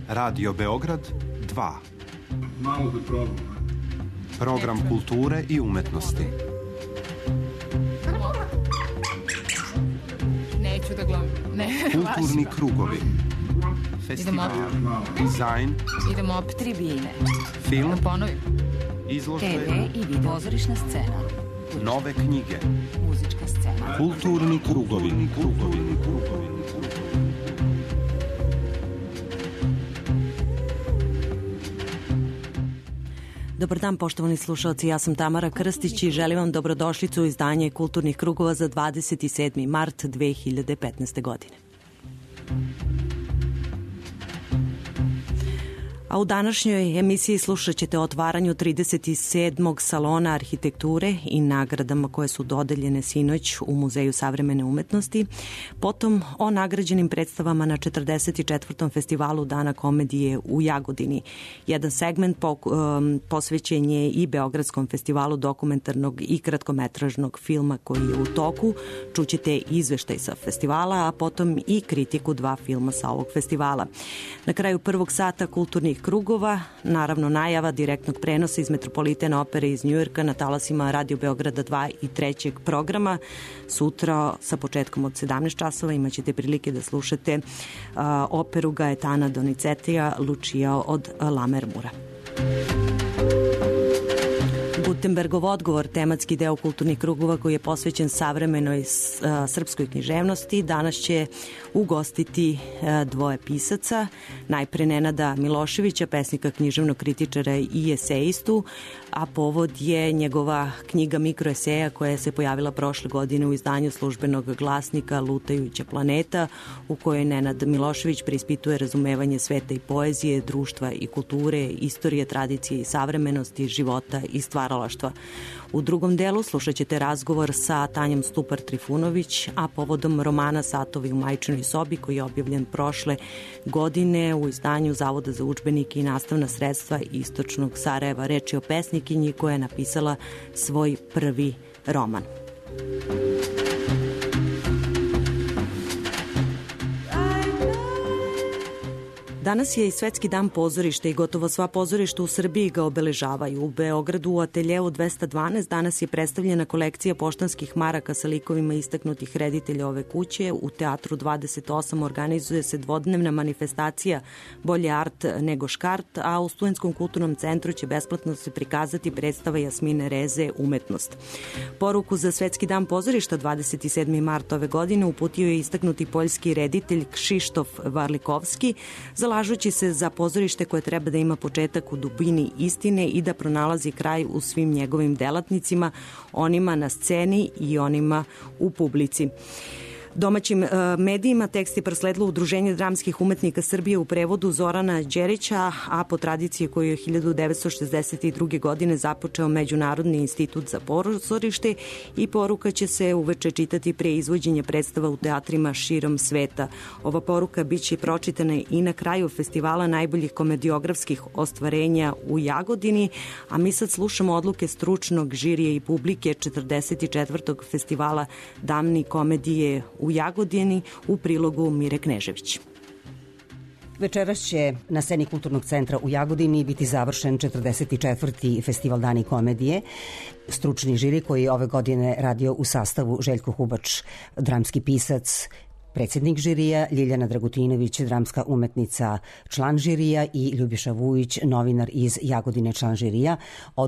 Radio Beograd 2. Malo da probam. Program kulture i umetnosti. Neću da gledam. Kulturni krugovi. Festival, dizajn. Idemo opet tribine. Film. Da ponovim. Izložbe. TV i video. Pozorišna scena. Nove knjige. Muzička scena. Kulturni krugovi. Dobar dan, poštovani slušalci, ja sam Tamara Krstić i želim vam dobrodošlicu u izdanje Kulturnih krugova za 27. mart 2015. godine. A u današnjoj emisiji slušat ćete o otvaranju 37. salona arhitekture i nagradama koje su dodeljene sinoć u Muzeju savremene umetnosti, potom o nagrađenim predstavama na 44. festivalu Dana komedije u Jagodini. Jedan segment posvećen je i Beogradskom festivalu dokumentarnog i kratkometražnog filma koji je u toku. Čućete izveštaj sa festivala, a potom i kritiku 2 filma sa ovog festivala. Na kraju prvog sata kulturnih krugova, naravno najava direktnog prenosa iz Metropolitana opere iz Njujorka na talasima Radio Beograda 2 i 3. programa. Sutra sa početkom od 17 časova imat ćete prilike da slušate operu Gaetana Donizetija Lucia od Lammermoora. Gutenbergov odgovor, tematski deo kulturnih krugova koji je posvećen savremenoj srpskoj književnosti, danas će ugostiti 2 pisaca. Najpre Nenada Miloševića, pesnika, književnog kritičara i esejistu, a povod je njegova knjiga mikroeseja koja se pojavila prošle godine u izdanju Službenog glasnika Lutajuća planeta, u kojoj Nenad Milošević preispituje razumevanje sveta i poezije, društva i kulture, istorije, tradicije i savremenosti, života i stvaralaštva. U drugom delu slušat ćete razgovor sa Tanjom Stupar-Trifunović, a povodom romana Satovi u majčinoj sobi koji je objavljen prošle godine u izdanju Zavoda za udžbenike i nastavna sredstva Istočnog Sarajeva. Reč je o pesnikinji koja je napisala svoj prvi roman. Danas je i Svetski dan pozorišta i gotovo sva pozorišta u Srbiji ga obeležavaju. U Beogradu u ateljeu 212 danas je predstavljena kolekcija poštanskih maraka sa likovima istaknutih reditelja ove kuće. U Teatru 28 organizuje se dvodnevna manifestacija Bolje art nego škart, a u Studentskom kulturnom centru će besplatno se prikazati predstava Jasmine Reze Umetnost. Poruku za Svetski dan pozorišta 27. mart ove godine uputio je istaknuti poljski reditelj Kšištof Varlikovski, zalažući se za pozorište koje treba da ima početak u dubini istine i da pronalazi kraj u svim njegovim delatnicima, onima na sceni i onima u publici. Domaćim medijima tekst je prosledilo Udruženje dramskih umetnika Srbije u prevodu Zorana Đerića, a po tradiciji koju je 1962. godine započeo Međunarodni institut za pozorište, i poruka će se uveče čitati pre izvođenja predstava u teatrima širom sveta. Ova poruka biće pročitana i na kraju festivala najboljih komediografskih ostvarenja u Jagodini, a mi sad slušamo odluke stručnog žirija i publike 44. festivala Dani komedije u Jagodini u prilogu Mire Knežević. Večeras će na sceni Kulturnog centra u Jagodini biti završen 44. festival Dani komedije. Stručni žiri koji je ove godine radio u sastavu Željko Hubač, dramski pisac, predsjednik žirija, Ljiljana Dragutinović, dramska umetnica, član žirija, i Ljubiša Vujić, novinar iz Jagodine, član žirija,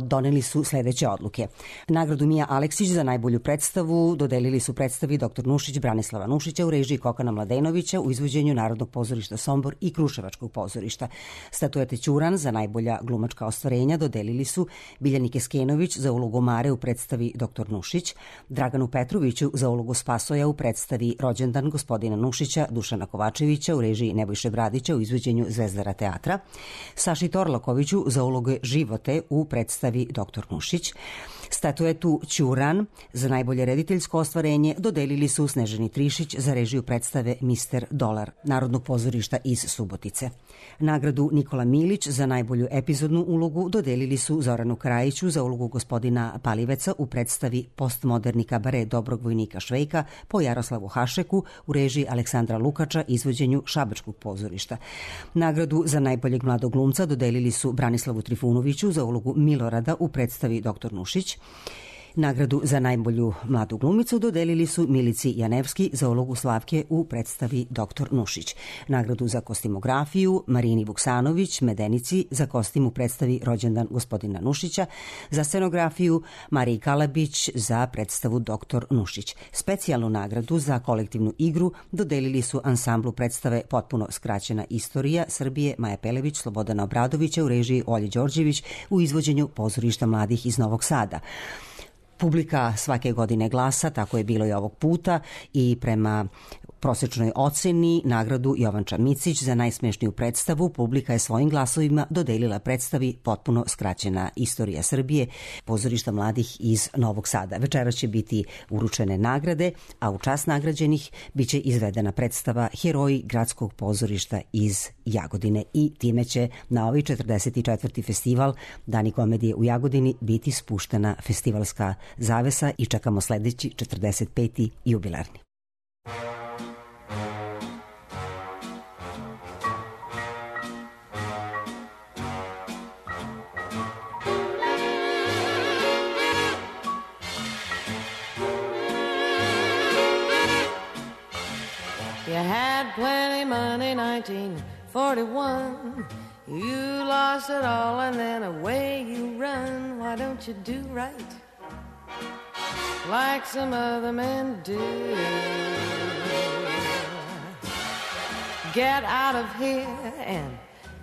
doneli su sledeće odluke. Nagradu Mija Aleksić za najbolju predstavu dodelili su predstavi Dr. Nušić Branislava Nušića u režiji Kokana Mladenovića u izvođenju Narodnog pozorišta Sombor i Kruševačkog pozorišta. Statuete Ćuran za najbolja glumačka ostvarenja dodelili su Biljani Keskenović za ulogu Mare u predstavi Dr. Nušić, Draganu Petroviću za ulogu Spasoja u predstavi Rođendan gospodina Nušića, Dušana Kovačevića u režiji Nebojše Bradića u izvođenju Zvezdara teatra, Saši Torlakoviću za uloge Živote u predstavi Dr. Nušić, Statuetu Ćuran za najbolje rediteljsko ostvarenje dodelili su Snežani Trišić za režiju predstave Mister Dolar Narodnog pozorišta iz Subotice. Nagradu Nikola Milić za najbolju epizodnu ulogu dodelili su Zoranu Krajiću za ulogu gospodina Paliveca u predstavi Postmoderni kabare Dobrog vojnika Švejka po Jaroslavu Hašeku u režiji Aleksandra Lukača izvođenju Šabačkog pozorišta. Nagradu za najboljeg mladog glumca dodelili su Branislavu Trifunoviću za ulogu Milorada u predstavi Dr. Nušić. Nagradu za najbolju mladu glumicu dodelili su Milici Janevski za ulogu Slavke u predstavi Dr. Nušić. Nagradu za kostimografiju Marini Vuksanović Medenici za kostim u predstavi Rođendan gospodina Nušića, za scenografiju Mariji Kalabić za predstavu Dr. Nušić. Specijalnu nagradu za kolektivnu igru dodelili su ansamblu predstave Potpuno skraćena istorija Srbije Maja Pelević Slobodana Obradovića u režiji Olje Đorđević u izvođenju Pozorišta mladih iz Novog Sada. Publika svake godine glasa, tako je bilo i ovog puta, i prema prosečnoj oceni nagradu Jovanča Micić za najsmešniju predstavu publika je svojim glasovima dodelila predstavi Potpuno skraćena istorija Srbije Pozorišta mladih iz Novog Sada. Večeras će biti uručene nagrade, a u čast nagrađenih biće izvedena predstava Heroji gradskog pozorišta iz Jagodine i time će na ovaj 44. festival Dani komedije u Jagodini biti spuštena festivalska zavesa i čekamo sledeći 45. jubilarni. You had plenty money, 1941. You lost it all and then away you run. Why don't you do right like some other men do? Get out of here and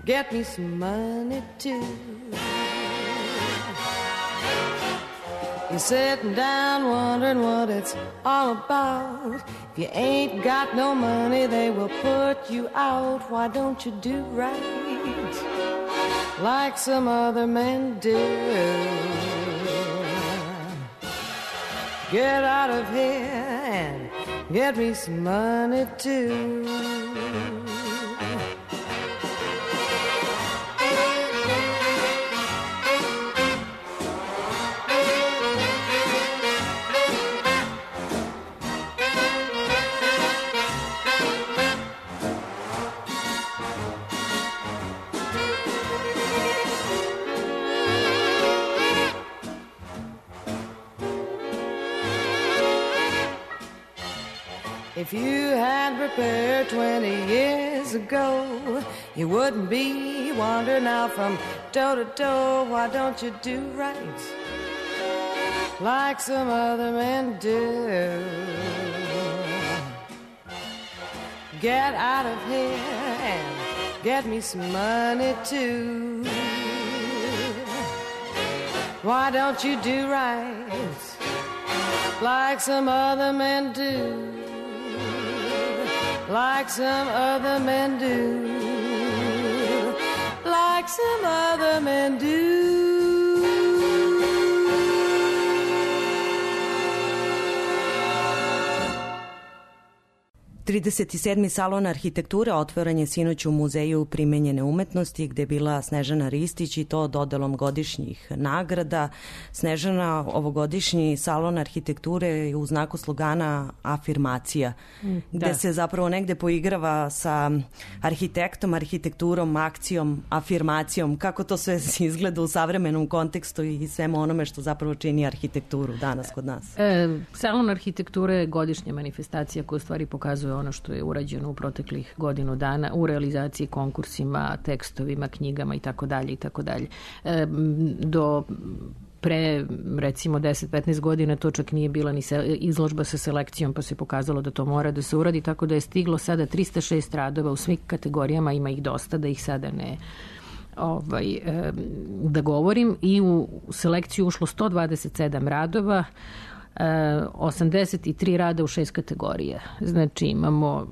get me some money too. You're sitting down wondering what it's all about. If you ain't got no money, they will put you out. Why don't you do right like some other men do? Get out of here and get me some money too. If you had prepared 20 years ago, you wouldn't be wandering out from door to door. Why don't you do right like some other men do? Get out of here and get me some money too. Why don't you do right like some other men do? Like some other men do, like some other men do. 37. salon arhitekture otvoren je sinoć u Muzeju primenjene umetnosti gde je bila Snežana Ristić i to dodelom godišnjih nagrada. Snežana, ovogodišnji salon arhitekture je u znaku slogana afirmacija, gde se zapravo negde poigrava sa arhitektom, arhitekturom, akcijom, afirmacijom. Kako to sve izgleda u savremenom kontekstu i svemu onome što zapravo čini arhitekturu danas kod nas? Salon arhitekture je godišnja manifestacija koja u stvari pokazuje ono što je urađeno u proteklih godinu dana u realizaciji konkursima, tekstovima, knjigama i tako dalje i tako dalje. Do pre recimo 10-15 godina to čak nije bila ni izložba sa selekcijom, pa se pokazalo da to mora da se uradi, tako da je stiglo sada 306 radova u svim kategorijama, ima ih dosta, da ih sada ne da govorim, i u selekciju ušlo 127 radova, 83 rada u 6 kategorija. Znači imamo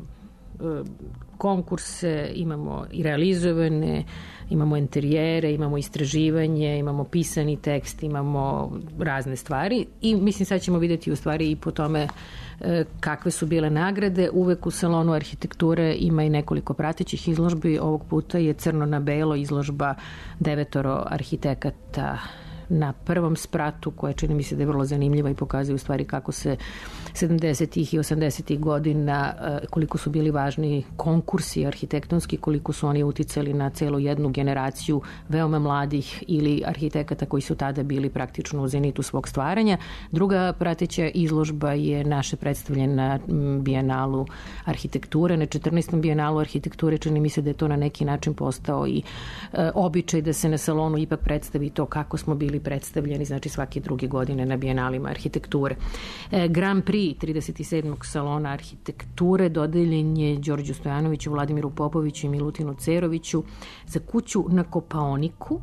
konkurse, imamo i realizovane, imamo interijere, imamo istraživanje, imamo pisani tekst, imamo razne stvari i mislim sad ćemo vidjeti u stvari i po tome kakve su bile nagrade. Uvek u salonu arhitekture ima i nekoliko pratećih izložbi. Ovog puta je crno na belo izložba 9 arhitekata na prvom spratu, koja čini mi se da je vrlo zanimljiva i pokazuje u stvari kako se 70. i 80. godina, koliko su bili važni konkursi arhitektonski, koliko su oni uticali na celu jednu generaciju veoma mladih ili arhitekata koji su tada bili praktično u zenitu svog stvaranja. Druga prateća izložba je naše predstavljene na Bijenalu arhitekture, na 14. Bijenalu arhitekture. Čini mi se da je to na neki način postao i običaj da se na salonu ipak predstavi to kako smo bili predstavljeni, znači svake druge godine na Bijenalima arhitekture. Grand Prix 37. salona arhitekture dodeljen je Đorđu Stojanoviću, Vladimiru Popoviću i Milutinu Ceroviću za kuću na Kopaoniku.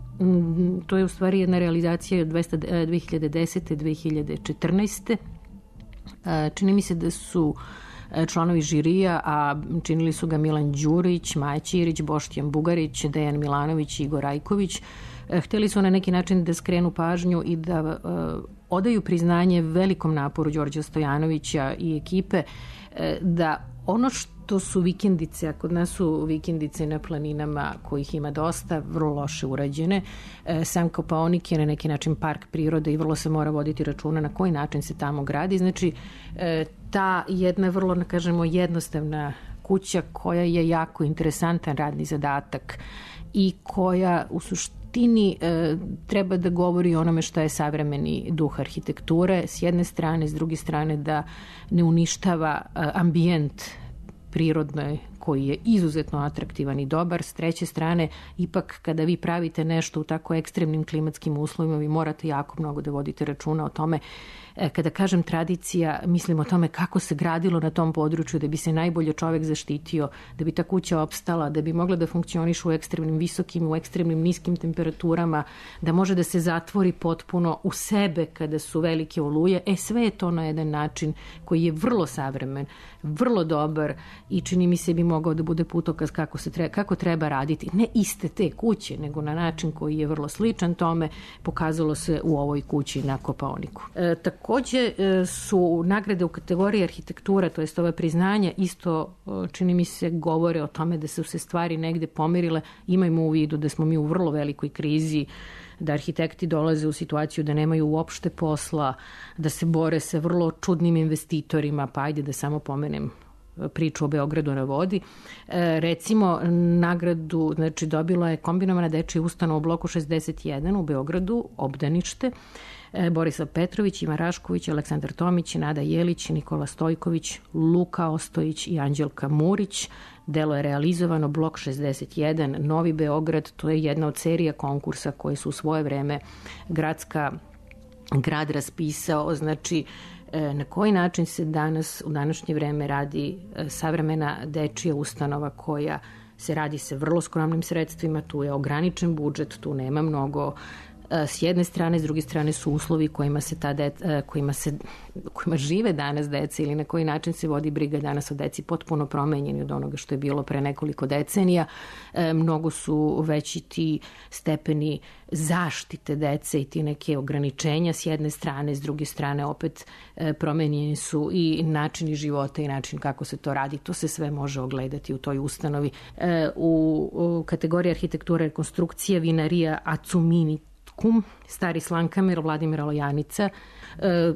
To je u stvari jedna realizacija od 2010. 2014. Čini mi se da su članovi žirija, a činili su ga Milan Đurić, Maja Ćirić, Boštjan Bugarić, Dejan Milanović i Igor Rajković. Hteli su na neki način da skrenu pažnju i da odaju priznanje velikom naporu Đorđa Stojanovića i ekipe da ono što su vikendice, a kod nas su vikendice na planinama kojih ima dosta, vrlo loše urađene. Sam Kopaonik je na neki način park prirode i vrlo se mora voditi računa na koji način se tamo gradi. Znači, ta jedna vrlo, kažemo, jednostavna kuća koja je jako interesantan radni zadatak i koja u suštini treba da govori o onome što je savremeni duh arhitekture s jedne strane, s druge strane da ne uništava ambijent prirodno koji je izuzetno atraktivan i dobar. S treće strane, ipak kada vi pravite nešto u tako ekstremnim klimatskim uslovima, vi morate jako mnogo da vodite računa o tome. Kada kažem tradicija, mislim o tome kako se gradilo na tom području da bi se najbolje čovek zaštitio, da bi ta kuća opstala, da bi mogla da funkcioniše u ekstremnim visokim, u ekstremnim niskim temperaturama, da može da se zatvori potpuno u sebe kada su velike oluje. Sve je to na jedan način koji je vrlo savremen, vrlo dobar i čini mi se bi mogao da bude putokaz kako treba raditi. Ne iste te kuće, nego na način koji je vrlo sličan tome, pokazalo se u ovoj kući na Kopaoniku. Takođe su nagrade u kategoriji arhitektura, to jest ova priznanja, isto čini mi se govore o tome da su se stvari negde pomerile. Imajmo u vidu da smo mi u vrlo velikoj krizi, da arhitekti dolaze u situaciju da nemaju uopšte posla, da se bore sa vrlo čudnim investitorima, pa ajde da samo pomenem priču o Beogradu na vodi. Recimo, nagradu dobila je kombinovana dečija ustanova u bloku 61 u Beogradu, obdanište, Borislav Petrović, Ivan Rašković, Aleksandar Tomić, Nada Jelić, Nikola Stojković, Luka Ostojić i Anđelka Murić. Delo je realizovano, blok 61, Novi Beograd. To je jedna od serija konkursa koje su u svoje vreme grad raspisao. Znači, na koji način se danas, u današnje vreme, radi savremena dečija ustanova koja se radi sa vrlo skromnim sredstvima, tu je ograničen budžet, tu nema mnogo. S jedne strane, s druge strane su uslovi kojima žive danas deca ili na koji način se vodi briga danas o deci potpuno promenjeni od onoga što je bilo pre nekoliko decenija. Mnogo su veći ti stepeni zaštite dece i ti neke ograničenja s jedne strane, s druge strane opet promenjeni su i načini života i način kako se to radi. To se sve može ogledati u toj ustanovi. U kategoriji arhitektura i rekonstrukcija vinarija Acumini Stari Slankamer, Vladimira Lojanica,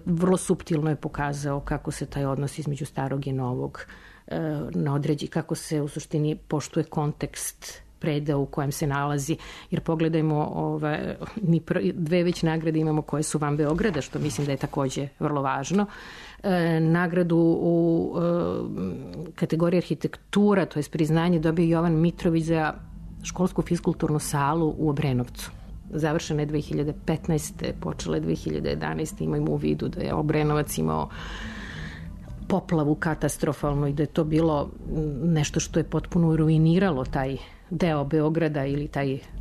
vrlo suptilno je pokazao kako se taj odnos između starog i novog određi, kako se u suštini poštuje kontekst predeo u kojem se nalazi, jer pogledajmo, dve već nagrade imamo koje su van Beograda, što mislim da je takođe vrlo važno. Nagradu u kategoriji arhitektura, to je priznanje, dobio Jovan Mitrović za školsku fiskulturnu salu u Obrenovcu. Završena je 2015. počela je 2011. Imajmo u vidu da je Obrenovac imao poplavu katastrofalno i da je to bilo nešto što je potpuno ruiniralo taj deo Beograda ili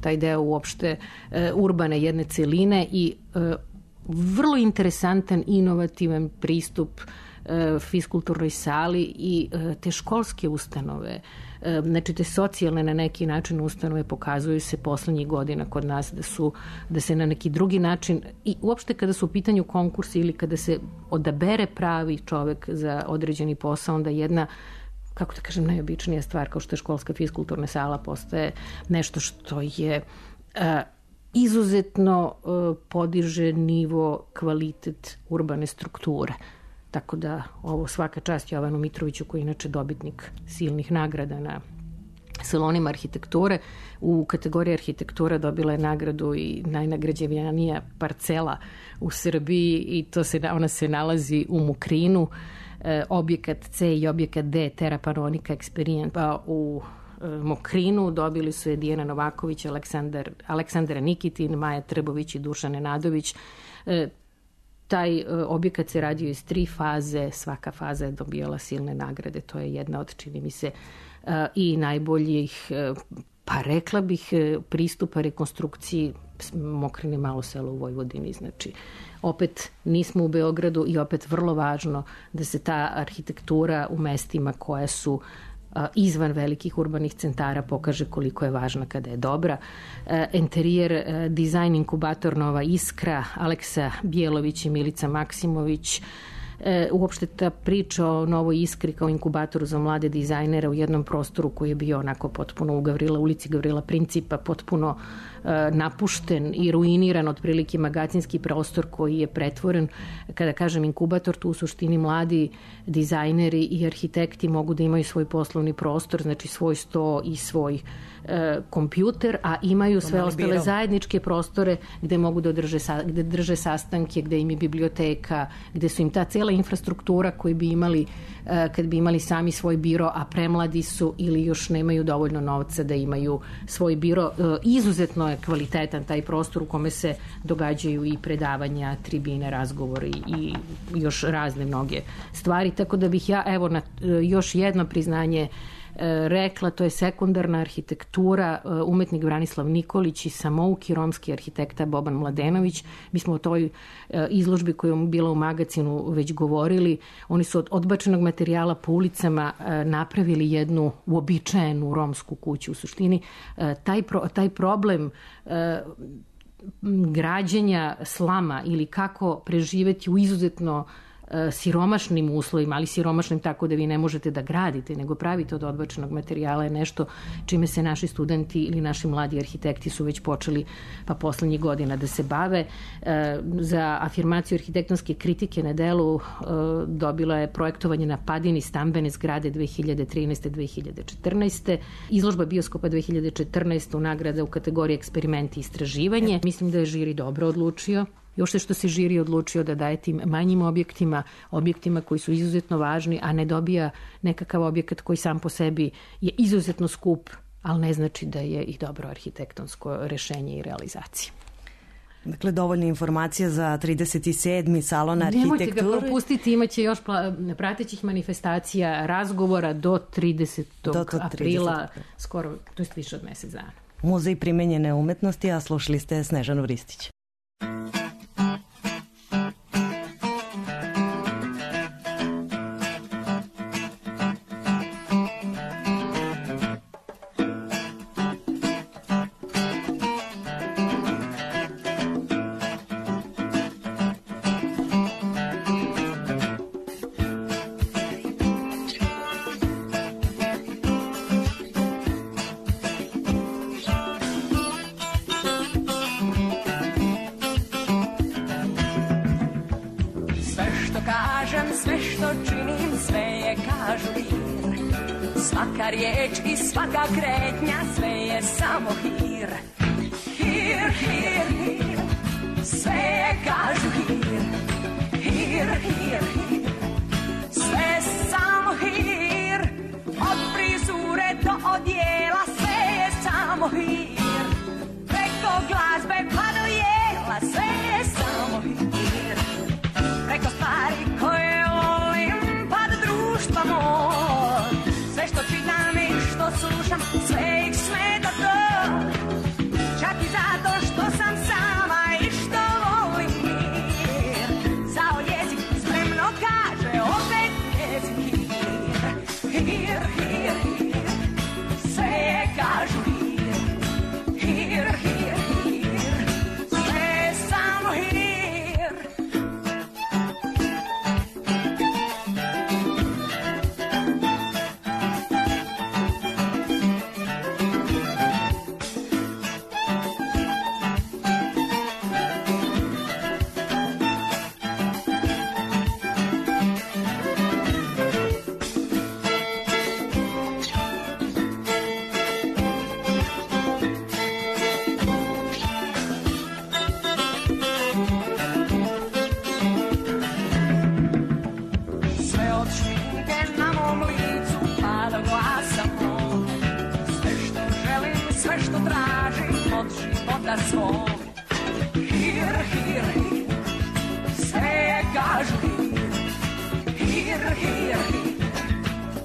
taj deo uopšte urbane jedne celine i vrlo interesantan, inovativan pristup fiskulturnoj sali i te školske ustanove, znači te socijalne na neki način ustanove pokazuju se poslednjih godina kod nas da se na neki drugi način i uopšte kada su u pitanju konkursi ili kada se odabere pravi čovek za određeni posao, onda jedna, kako da kažem, najobičnija stvar kao što je školska fiskulturna sala postaje nešto što je izuzetno podiže nivo, kvalitet urbane strukture. Tako da ovo svaka čast Jovanu Mitroviću, koji je inače dobitnik silnih nagrada na salonima arhitekture. U kategoriji arhitektura dobila je nagradu i najnagrađenija parcela u Srbiji i ona se nalazi u Mokrinu. Objekat C i objekat D, Terra Panonica Experience u Mokrinu dobili su je Dijana Novaković, Aleksandra Nikitin, Maja Trbović i Dušan Nenadović. Taj objekat se radio iz 3 faze, svaka faza je dobijala silne nagrade, to je jedna od, čini mi se, i najboljih, pa rekla bih, pristupa rekonstrukciji Mokrine, malo selo u Vojvodini. Znači, opet nismo u Beogradu i opet vrlo važno da se ta arhitektura u mestima koja su izvan velikih urbanih centara pokaže koliko je važna kada je dobra. Interijer, dizajn, inkubator Nova Iskra, Aleksa Bjelović i Milica Maksimović. Uopšte ta priča o Novoj Iskri kao inkubatoru za mlade dizajnere u jednom prostoru koji je bio onako potpuno u ulici Gavrila Principa, potpuno napušten i ruiniran, otprilike magacinski prostor koji je pretvoren. Kada kažem inkubator, tu u suštini mladi dizajneri i arhitekti mogu da imaju svoj poslovni prostor, znači svoj sto i svoj kompjuter, a imaju sve ostale zajedničke prostore gde mogu da drže sastanke, gde im je biblioteka, gde su im ta cela infrastruktura koju bi imali kad bi imali sami svoj biro, a premladi su ili još nemaju dovoljno novca da imaju svoj biro. Izuzetno je kvalitetan taj prostor u kome se događaju i predavanja, tribine, razgovori i još razne mnoge stvari. Tako da bih ja, evo, na još jedno priznanje rekla, to je sekundarna arhitektura, umetnik Branislav Nikolić i samouki romski arhitekta Boban Mladenović. Mi smo o toj izložbi koja je bila u magazinu već govorili. Oni su od odbačenog materijala po ulicama napravili jednu uobičajenu romsku kuću. U suštini, taj problem građenja slama ili kako preživeti u izuzetno siromašnim uslovima, ali siromašnim tako da vi ne možete da gradite, nego pravite od odbačenog materijala, je nešto čime se naši studenti ili naši mladi arhitekti su već počeli pa poslednjih godina da se bave. Za afirmaciju arhitektonske kritike na delu dobila je projektovanje na Padini stambene zgrade 2013-2014. Izložba bioskopa 2014. nagrada u kategoriji eksperimenti i istraživanje. Mislim da je žiri dobro odlučio. Još što se žiri odlučio da daje tim manjim objektima koji su izuzetno važni, a ne dobija nekakav objekat koji sam po sebi je izuzetno skup, ali ne znači da je i dobro arhitektonsko rešenje i realizacija. Dakle, dovoljna informacija za 37. salon arhitekture. Nemojte ga propustiti, imaće još pratećih manifestacija, razgovora do 30. aprila, skoro, to je više od mesec dana. Muzej primenjene umetnosti, a slušali ste Snežanu Vristić. Svaka riječ i svaka kretnja, sve je samo hir. Hir, hir, hir, sve je kažu hir. Hir, hir, hir, sve je samo hir. Od frizure do odjela, sve je samo hir. Preko glazbe pa do jela, sve je samo hir. Preko stvari koje volim pa do društva moj. Sve što čitam i što slušam, sve ih smeta to. Čak i zato što sam sama i što volim mir. Zao jezik spremno kaže opet. tražim od života svog. Hir, hir, hir, sve kažu hir. Hir, hir, hir,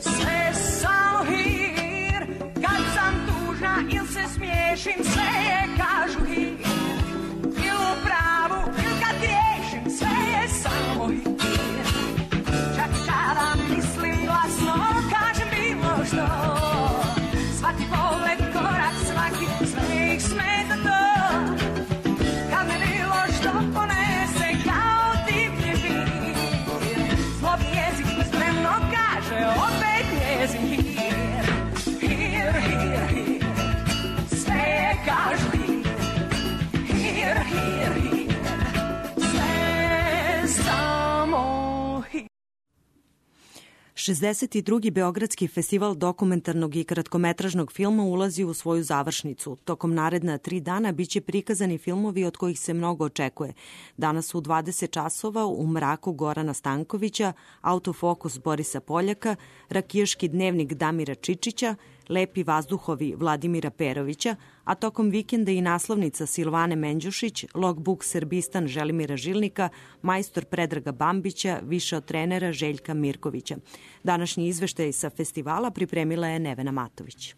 sve samo hir. Kad sam tužna il se smiješim, sve kažu hir. Il u pravu, il kad griješim, sve je samo hir. Čak kada mislim glasno, kažem bilo što. Svaki pogled, korak, svaki, sve ih smeta to. Kad me bilo što ponese kao divlji vir. Zlobni jezik spremno kaže, opet njezin hir. Hir, hir, hir, sve kažu hir. Hir, hir, hir, sve samo hir. 62. Beogradski festival dokumentarnog i kratkometražnog filma ulazi u svoju završnicu. Tokom naredna 3 dana biće prikazani filmovi od kojih se mnogo očekuje. Danas u 20 časova U mraku Gorana Stankovića, Autofokus Borisa Poljaka, Rakijaški dnevnik Damira Čičića, Lepi vazduhovi Vladimira Perovića, a tokom vikenda i naslovnica Silvane Menđušić, Logbook Srbistan Želimira Žilnika, Majstor Predraga Bambića, Više od trenera Željka Mirkovića. Današnji izveštaj sa festivala pripremila je Nevena Matović.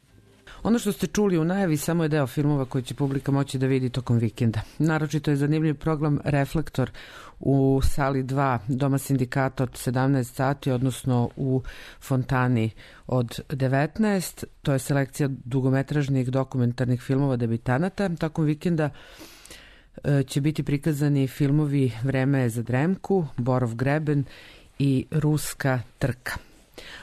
Ono što ste čuli u najavi samo je deo filmova koji će publika moći da vidi tokom vikenda. Naročito je zanimljiv program Reflektor u sali 2 Doma sindikata od 17 sati, odnosno u Fontani od 19. To je selekcija dugometražnih dokumentarnih filmova debitanata. Tokom vikenda će biti prikazani filmovi Vreme je za dremku, Borov greben i Ruska trka.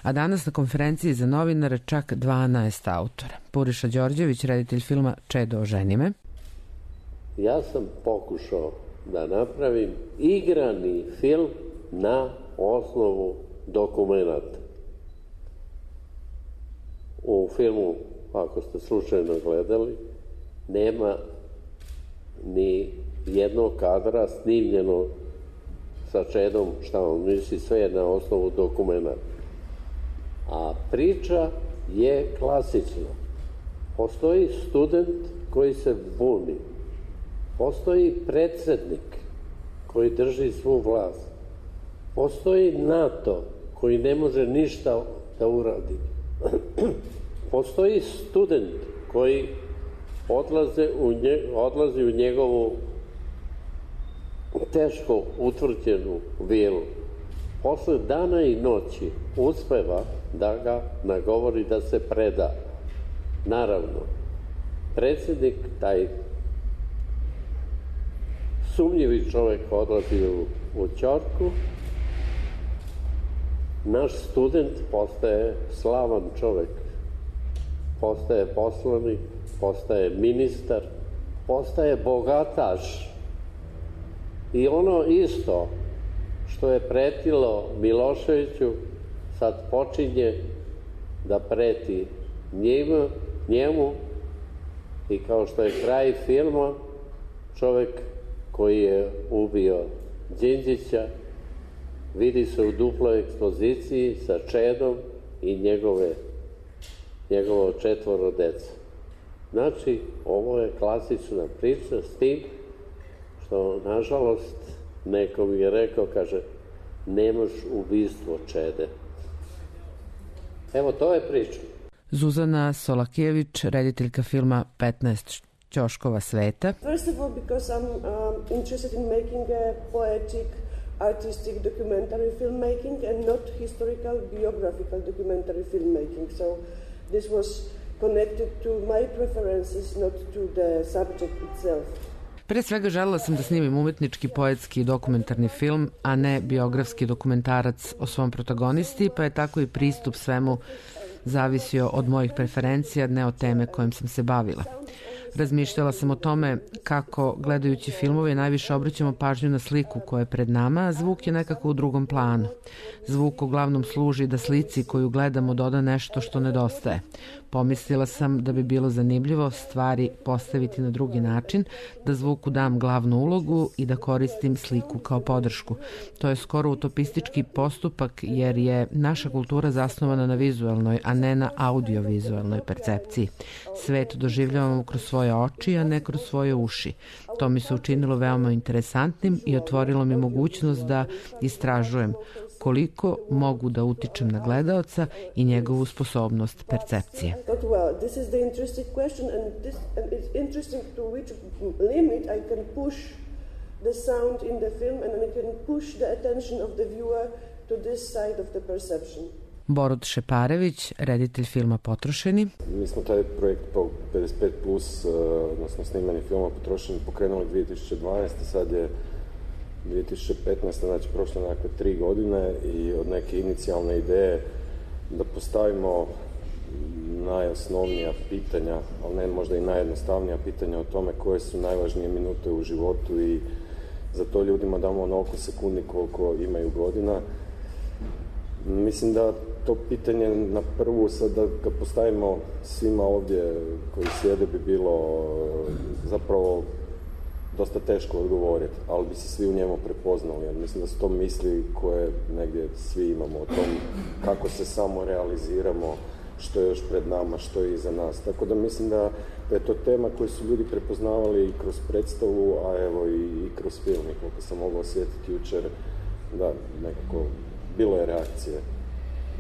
A danas na konferenciji za novinare čak 12 autora. Puriša Đorđević, reditelj filma Čedo, oženi me. Ja sam pokušao da napravim igrani film na osnovu dokumenata. U filmu, ako ste slučajno gledali, nema ni jednog kadra snimljeno sa Čedom, šta on misli, sve je na osnovu dokumenata. A priča je klasična. Postoji student koji se buni. Postoji predsjednik koji drži svu vlast. Postoji NATO koji ne može ništa da uradi. Postoji student koji odlazi u njegovu teško utvrđenu vilu. Posle dana i noći uspeva da ga nagovori da se preda. Naravno, predsjednik, taj sumnjivi čovjek, odlazi u ćorku. Naš student postaje slavan čovjek. Postaje poslanik, postaje ministar, postaje bogataš. I ono isto što je pretilo Miloševiću, sad počinje da preti njemu i kao što je kraj filma, čovjek koji je ubio Đinđića vidi se u duploj ekspoziciji sa Čedom i njegovo 4 dece. Znači, ovo je klasična priča s tim što, nažalost, neko mi je rekao, kaže, nemaš ubistvo Čede. Evo, to je priča. Zuzana Solakijević, rediteljka filma 15 ćoškova sveta. First of all, because I'm interested in making a poetic, artistic documentary filmmaking and not historical, biographical documentary filmmaking. So this was connected to my preferences, not to the subject itself. Pre svega želela sam da snimim umetnički, poetski i dokumentarni film, a ne biografski dokumentarac o svom protagonisti, pa je tako i pristup svemu zavisio od mojih preferencija, ne od teme kojim sam se bavila. Razmišljala sam o tome kako, gledajući filmove, najviše obraćamo pažnju na sliku koja je pred nama, a zvuk je nekako u drugom planu. Zvuk uglavnom služi da slici koju gledamo doda nešto što nedostaje. Pomislila sam da bi bilo zanimljivo stvari postaviti na drugi način, da zvuku dam glavnu ulogu i da koristim sliku kao podršku. To je skoro utopistički postupak jer je naša kultura zasnovana na vizualnoj, a ne na audiovizualnoj percepciji. Svet doživljavamo kroz svoje oči, a ne kroz svoje uši. To mi se učinilo veoma interesantnim i otvorilo mi mogućnost da istražujem koliko mogu da utičem na gledaoca i njegovu sposobnost percepcije. Well, this is the interesting question and it's interesting to which limit I can push the sound in the film and I can push the attention of the viewer to this side of the perception. Borut Šeparević, reditelj filma Potrošeni. Mi smo taj projekt po 55+, odnosno snimanje filma Potrošeni, pokrenuli 2012. Sad je 2015. znači prošle nekakve 3 godine i od neke inicijalne ideje da postavimo najosnovnija pitanja, ali ne možda i najjednostavnija pitanja o tome koje su najvažnije minute u životu i za to ljudima damo onoliko sekundi koliko imaju godina. Mislim da to pitanje na prvu, sad da ga postavimo svima ovdje koji sjede, bi bilo zapravo dosta teško odgovoriti, ali bi se svi u njemu prepoznali. Jer mislim da su to misli koje negdje svi imamo o tom kako se samo realiziramo, što je još pred nama, što je iza nas. Tako da mislim da je to tema koju su ljudi prepoznavali i kroz predstavu, a evo i kroz film. I koliko sam mogao osjetiti jučer, da, nekako bilo je reakcije,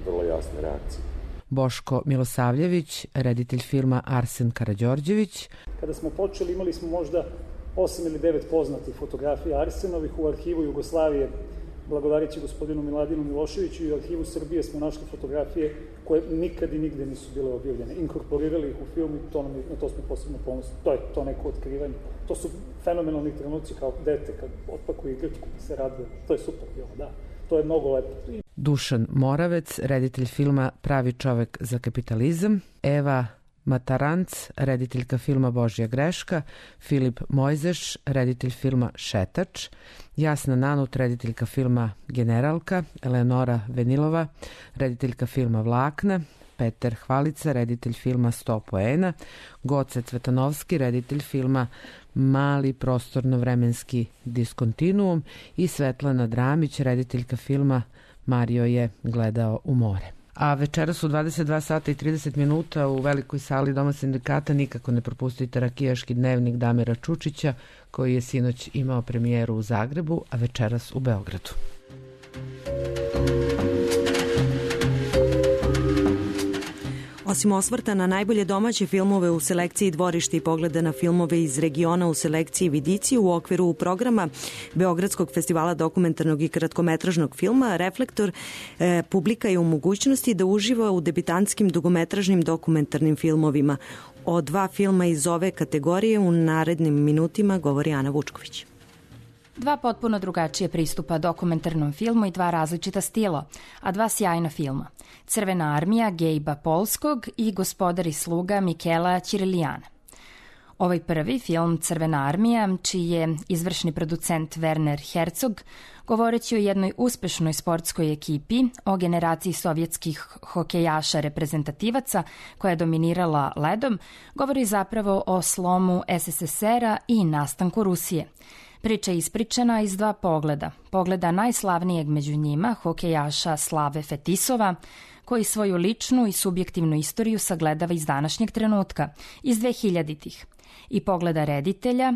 vrlo jasne reakcije. Boško Milosavljević, reditelj filma Arsen Karađorđević. Kada smo počeli, imali smo možda 8 ili 9 poznatih fotografija Arsenovih. U arhivu Jugoslavije, blagodareći gospodinu Miladinu Miloševiću, i u arhivu Srbije smo našli fotografije koje nikad i nigde nisu bile objavljene. Inkorporirali ih u film i na to smo posebno ponosni. To je to neko otkrivanje. To su fenomenalni trenuci kao dete kad otpakuje igračku pa se raduje. To je super bilo, da. To je mnogo lepo. Dušan Moravec, reditelj filma Pravi čovek za kapitalizam. Eva Mataranc, rediteljka filma Božja greška, Filip Mojzeš, reditelj filma Šetač, Jasna Nanut, rediteljka filma Generalka, Eleonora Venilova, rediteljka filma Vlakna, Peter Hvalica, reditelj filma 100 poena, Goce Cvetanovski, reditelj filma Mali prostorno-vremenski diskontinuum i Svetlana Dramić, rediteljka filma Mario je gledao u more. A večeras u 22 sata i 30 minuta u velikoj sali Doma sindikata nikako ne propustite Rakijaški dnevnik Damira Čučića, koji je sinoć imao premijeru u Zagrebu, a večeras u Beogradu. Osim osvrta na najbolje domaće filmove u selekciji Dvorište i pogleda na filmove iz regiona u selekciji Vidici, u okviru programa Beogradskog festivala dokumentarnog i kratkometražnog filma Reflektor, publika je u mogućnosti da uživa u debitantskim dugometražnim dokumentarnim filmovima. O 2 filma iz ove kategorije u narednim minutima govori Ana Vučković. 2 potpuno drugačije pristupa dokumentarnom filmu i 2 različita stila, a 2 sjajna filma. Crvena armija Gejba Polskog i Gospodar i sluga Mikela Ćirilijana. Ovaj prvi film, Crvena armija, čiji je izvršni producent Werner Herzog, govoreći o jednoj uspešnoj sportskoj ekipi, o generaciji sovjetskih hokejaša reprezentativaca koja je dominirala ledom, govori zapravo o slomu SSSR-a i nastanku Rusije. Priča je ispričana iz 2 pogleda. Pogleda najslavnijeg među njima, hokejaša Slave Fetisova, koji svoju ličnu i subjektivnu istoriju sagledava iz današnjeg trenutka, iz 2000-ih. I pogleda reditelja,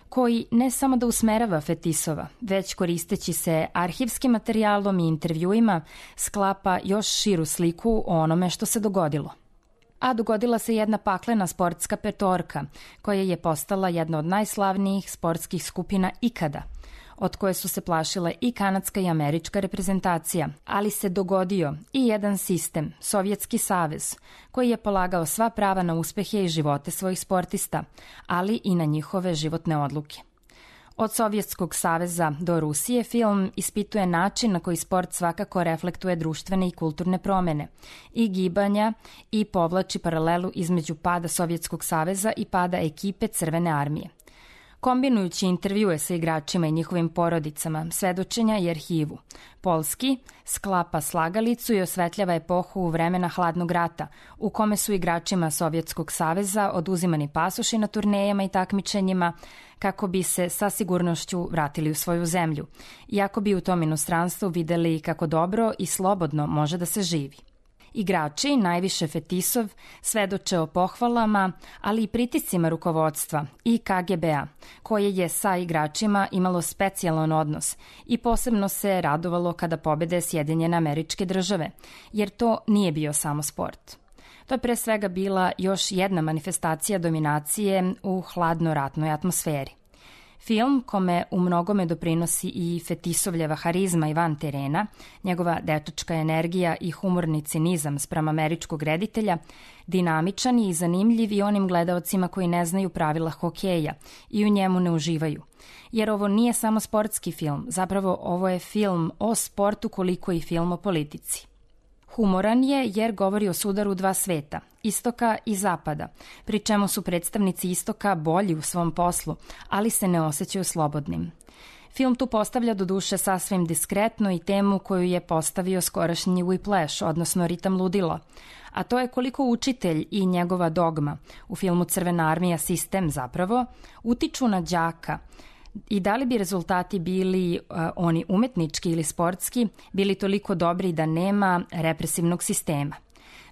koji ne samo da usmerava Fetisova, već koristeći se arhivskim materijalom i intervjuima, sklapa još širu sliku o onome što se dogodilo. A dogodila se jedna paklena sportska petorka, koja je postala jedna od najslavnijih sportskih skupina ikada, od koje su se plašile i kanadska i američka reprezentacija, ali se dogodio i jedan sistem, Sovjetski savez, koji je polagao sva prava na uspehe i živote svojih sportista, ali i na njihove životne odluke. Od Sovjetskog saveza do Rusije film ispituje način na koji sport svakako reflektuje društvene i kulturne promene i gibanja i povlači paralelu između pada Sovjetskog saveza i pada ekipe Crvene armije. Kombinujući intervjue sa igračima i njihovim porodicama, svedočenja i arhivu, Polski sklapa slagalicu i osvetljava epohu vremena hladnog rata, u kome su igračima Sovjetskog saveza oduzimani pasoši na turnejama i takmičenjima kako bi se sa sigurnošću vratili u svoju zemlju, iako bi u tom inostranstvu videli kako dobro i slobodno može da se živi. Igrači, najviše Fetisov, svedoče o pohvalama, ali i pritiscima rukovodstva i KGB-a, koje je sa igračima imalo specijalan odnos i posebno se radovalo kada pobede Sjedinjene Američke Države, jer to nije bio samo sport. To je pre svega bila još jedna manifestacija dominacije u hladno-ratnoj atmosferi. Film, kome u mnogome doprinosi i Fetisovljeva harizma i van terena, njegova dečačka energija i humorni cinizam spram američkog reditelja, dinamičan je i zanimljiv i onim gledaocima koji ne znaju pravila hokeja i u njemu ne uživaju. Jer ovo nije samo sportski film, zapravo ovo je film o sportu koliko i film o politici. Humoran je jer govori o sudaru dva sveta, istoka i zapada, pri čemu su predstavnici istoka bolji u svom poslu, ali se ne osjećaju slobodnim. Film tu postavlja do duše sasvim diskretno i temu koju je postavio skorašnji Whiplash, odnosno Ritam ludila, a to je koliko učitelj i njegova dogma, u filmu Crvena armija sistem zapravo, utiču na đaka, i da li bi rezultati bili oni umetnički ili sportski, bili toliko dobri da nema represivnog sistema?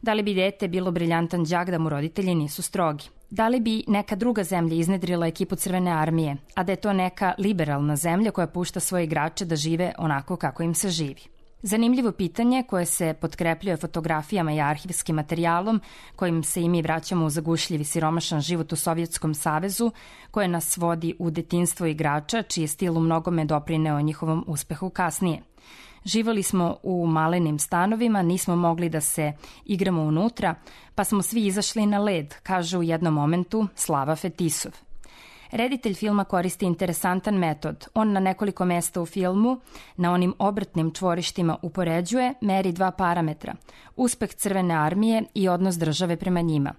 Da li bi dete bilo briljantan đak da mu roditelji nisu strogi? Da li bi neka druga zemlja iznedrila ekipu Crvene armije, a da je to neka liberalna zemlja koja pušta svoje igrače da žive onako kako im se živi? Zanimljivo pitanje koje se potkrepljuje fotografijama i arhivskim materijalom kojim se i mi vraćamo u zagušljivi siromašan život u Sovjetskom savezu, koje nas vodi u detinjstvo igrača, čiji je stil u mnogome doprineo njihovom uspehu kasnije. Živali smo u malenim stanovima, nismo mogli da se igramo unutra, pa smo svi izašli na led, kaže u jednom momentu Slava Fetisov. Reditelj filma koristi interesantan metod. On na nekoliko mesta u filmu, na onim obrtnim čvorištima upoređuje, meri dva parametra, uspeh Crvene armije i odnos države prema njima.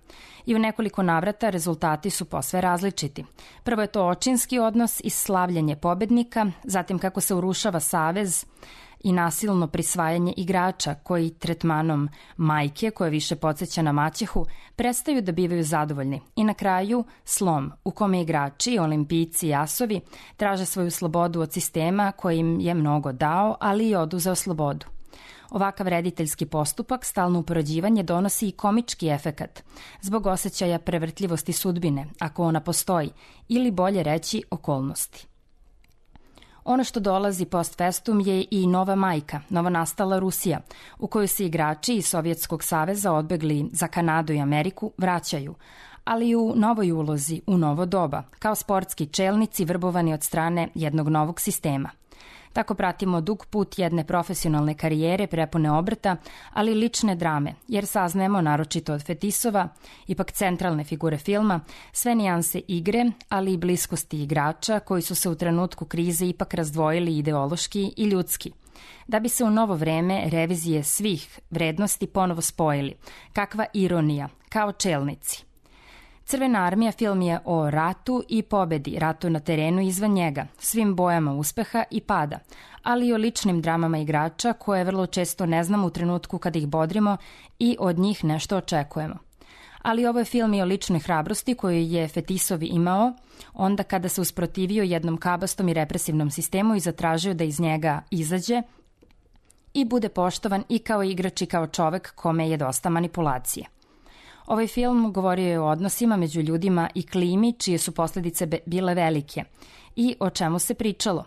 I u nekoliko navrata rezultati su posve različiti. Prvo je to očinski odnos i slavljenje pobednika, zatim kako se urušava savez i nasilno prisvajanje igrača koji tretmanom majke, koja više podsjeća na maćehu, prestaju da bivaju zadovoljni. I na kraju slom u kome igrači, olimpijci i asovi traže svoju slobodu od sistema koji im je mnogo dao, ali i oduzeo slobodu. Ovakav rediteljski postupak, stalno upoređivanje, donosi i komički efekat, zbog osjećaja prevrtljivosti sudbine, ako ona postoji, ili bolje reći okolnosti. Ono što dolazi post festum je i nova majka, novonastala Rusija, u kojoj se igrači iz Sovjetskog saveza odbegli za Kanadu i Ameriku vraćaju, ali u novoj ulozi, u novo doba, kao sportski čelnici vrbovani od strane jednog novog sistema. Tako pratimo dug put jedne profesionalne karijere prepune obrta, ali i lične drame, jer saznajemo, naročito od Fetisova, ipak centralne figure filma, sve nijanse igre, ali i bliskosti igrača koji su se u trenutku krize ipak razdvojili ideološki i ljudski. Da bi se u novo vreme revizije svih vrednosti ponovo spojili. Kakva ironija, kao čelnici. Crvena armija film je o ratu i pobedi, ratu na terenu i izvan njega, svim bojama uspeha i pada, ali i o ličnim dramama igrača koje vrlo često ne znamo u trenutku kada ih bodrimo i od njih nešto očekujemo. Ali ovo je film i o ličnoj hrabrosti koju je Fetisov imao onda kada se usprotivio jednom kabastom i represivnom sistemu i zatražio da iz njega izađe i bude poštovan i kao igrač i kao čovek kome je dosta manipulacije. Ovaj film govorio je o odnosima među ljudima i klimi, čije su posljedice bile velike i o čemu se pričalo.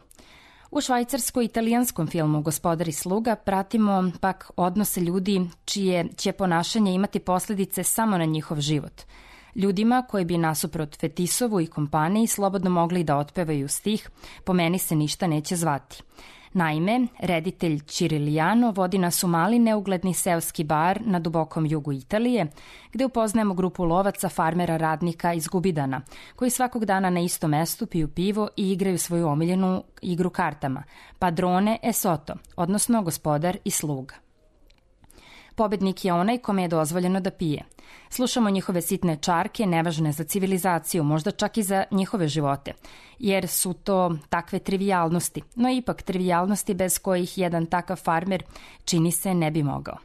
U švajcarsko-italijanskom filmu Gospodar i sluga pratimo pak odnose ljudi čije će ponašanje imati posljedice samo na njihov život. Ljudima koji bi nasuprot Fetisovu i kompaniji slobodno mogli da otpevaju stih "Po meni se ništa neće zvati". Naime, reditelj Cirilijano vodi nas u mali neugledni seoski bar na dubokom jugu Italije, gde upoznajemo grupu lovaca, farmera, radnika iz Gubidana, koji svakog dana na istom mestu piju pivo i igraju svoju omiljenu igru kartama, padrone e sotto, odnosno gospodar i sluga. Pobednik je onaj kome je dozvoljeno da pije. Slušamo njihove sitne čarke, nevažne za civilizaciju, možda čak i za njihove živote, jer su to takve trivijalnosti, no ipak trivijalnosti bez kojih jedan takav farmer čini se ne bi mogao.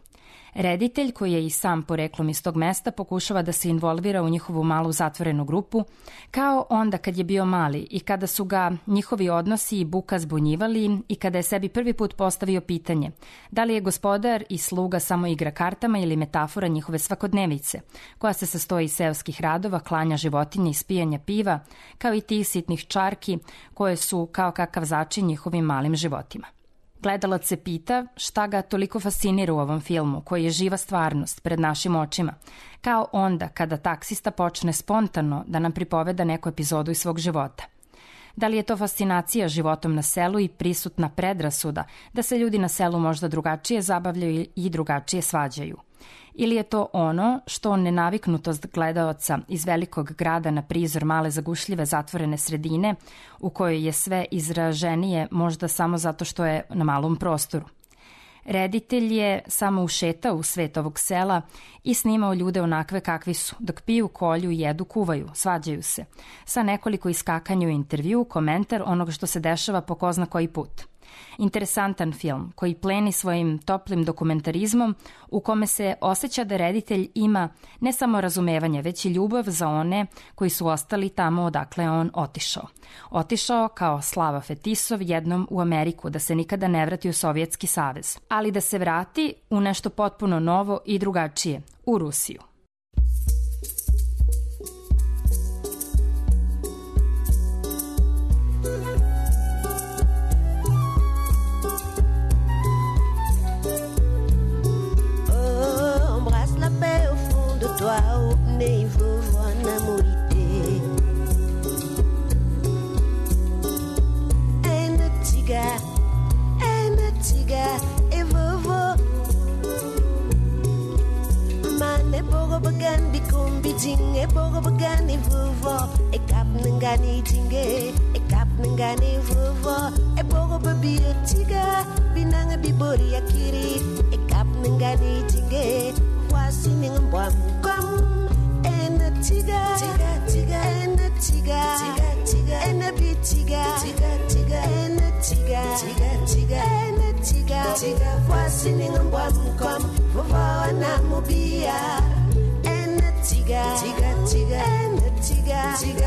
Reditelj, koji je i sam poreklom iz tog mesta, pokušava da se involvira u njihovu malu zatvorenu grupu, kao onda kad je bio mali i kada su ga njihovi odnosi i buka zbunjivali i kada je sebi prvi put postavio pitanje da li je gospodar i sluga samo igra kartama ili metafora njihove svakodnevice, koja se sastoji iz seoskih radova, klanja životinje i spijanja piva, kao i tih sitnih čarki koje su kao kakav začin njihovim malim životima. Gledalac se pita šta ga toliko fascinira u ovom filmu, koji je živa stvarnost pred našim očima, kao onda kada taksista počne spontano da nam pripoveda neku epizodu iz svog života. Da li je to fascinacija životom na selu i prisutna predrasuda da se ljudi na selu možda drugačije zabavljaju i drugačije svađaju? Ili je to ono što nenaviknutost gledaoca iz velikog grada na prizor male zagušljive zatvorene sredine u kojoj je sve izraženije možda samo zato što je na malom prostoru? Reditelj je samo ušetao u svet ovog sela i snimao ljude onakve kakvi su, dok piju, kolju, jedu, kuvaju, svađaju se, sa nekoliko iskakanja u intervju, komentar onoga što se dešava po ko zna koji put. Interesantan film koji pleni svojim toplim dokumentarizmom u kome se osjeća da reditelj ima ne samo razumevanje, već i ljubav za one koji su ostali tamo odakle on otišao. Otišao kao Slava Fetisov jednom u Ameriku, da se nikada ne vrati u Sovjetski savez, ali da se vrati u nešto potpuno novo i drugačije, u Rusiju. Nei vovó na morite é natiga e vovó mane bogo bagan bikum bijing e bogo bagan e vovó e kap nangani tinge e kap nangani vovó e bogo babi tiga binanga bibori akiri e kap nangani tinge wasi ningambam kwam Tiga, tiga, and a tiga, tiga, and a bit tiga, tiga, and a tiga, tiga, and a tiga, was in a bomb come, Vavana Mobia, and a tiga, and a tiga,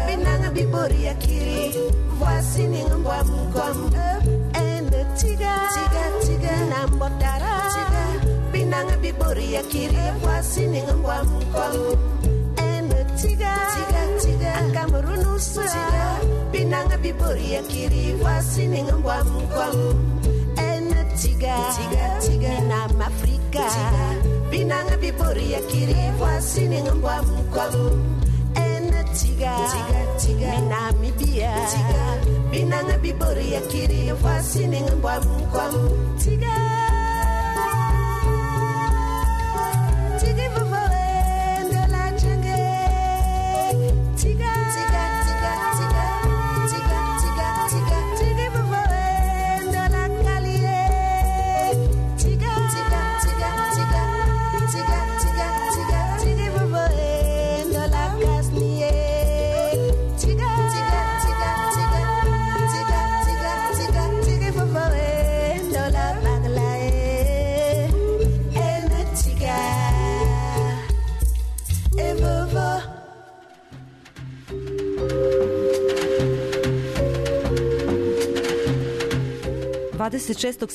Benanga Biboria Kiri, was in a bomb come, and a tiga, Nambotara, Benanga Biboria Kiri, was in a bomb come. Tiga, Akamurunusa, Binanga Biboria Kiri, Wasining and Wamquam, and Tiga, Nam Africa, Binanga Biboria Kiri, Wasining and Wamquam, and Tiga, Namibia, Binanga Biboria Kiri, Wasining and Wamquam, Tiga.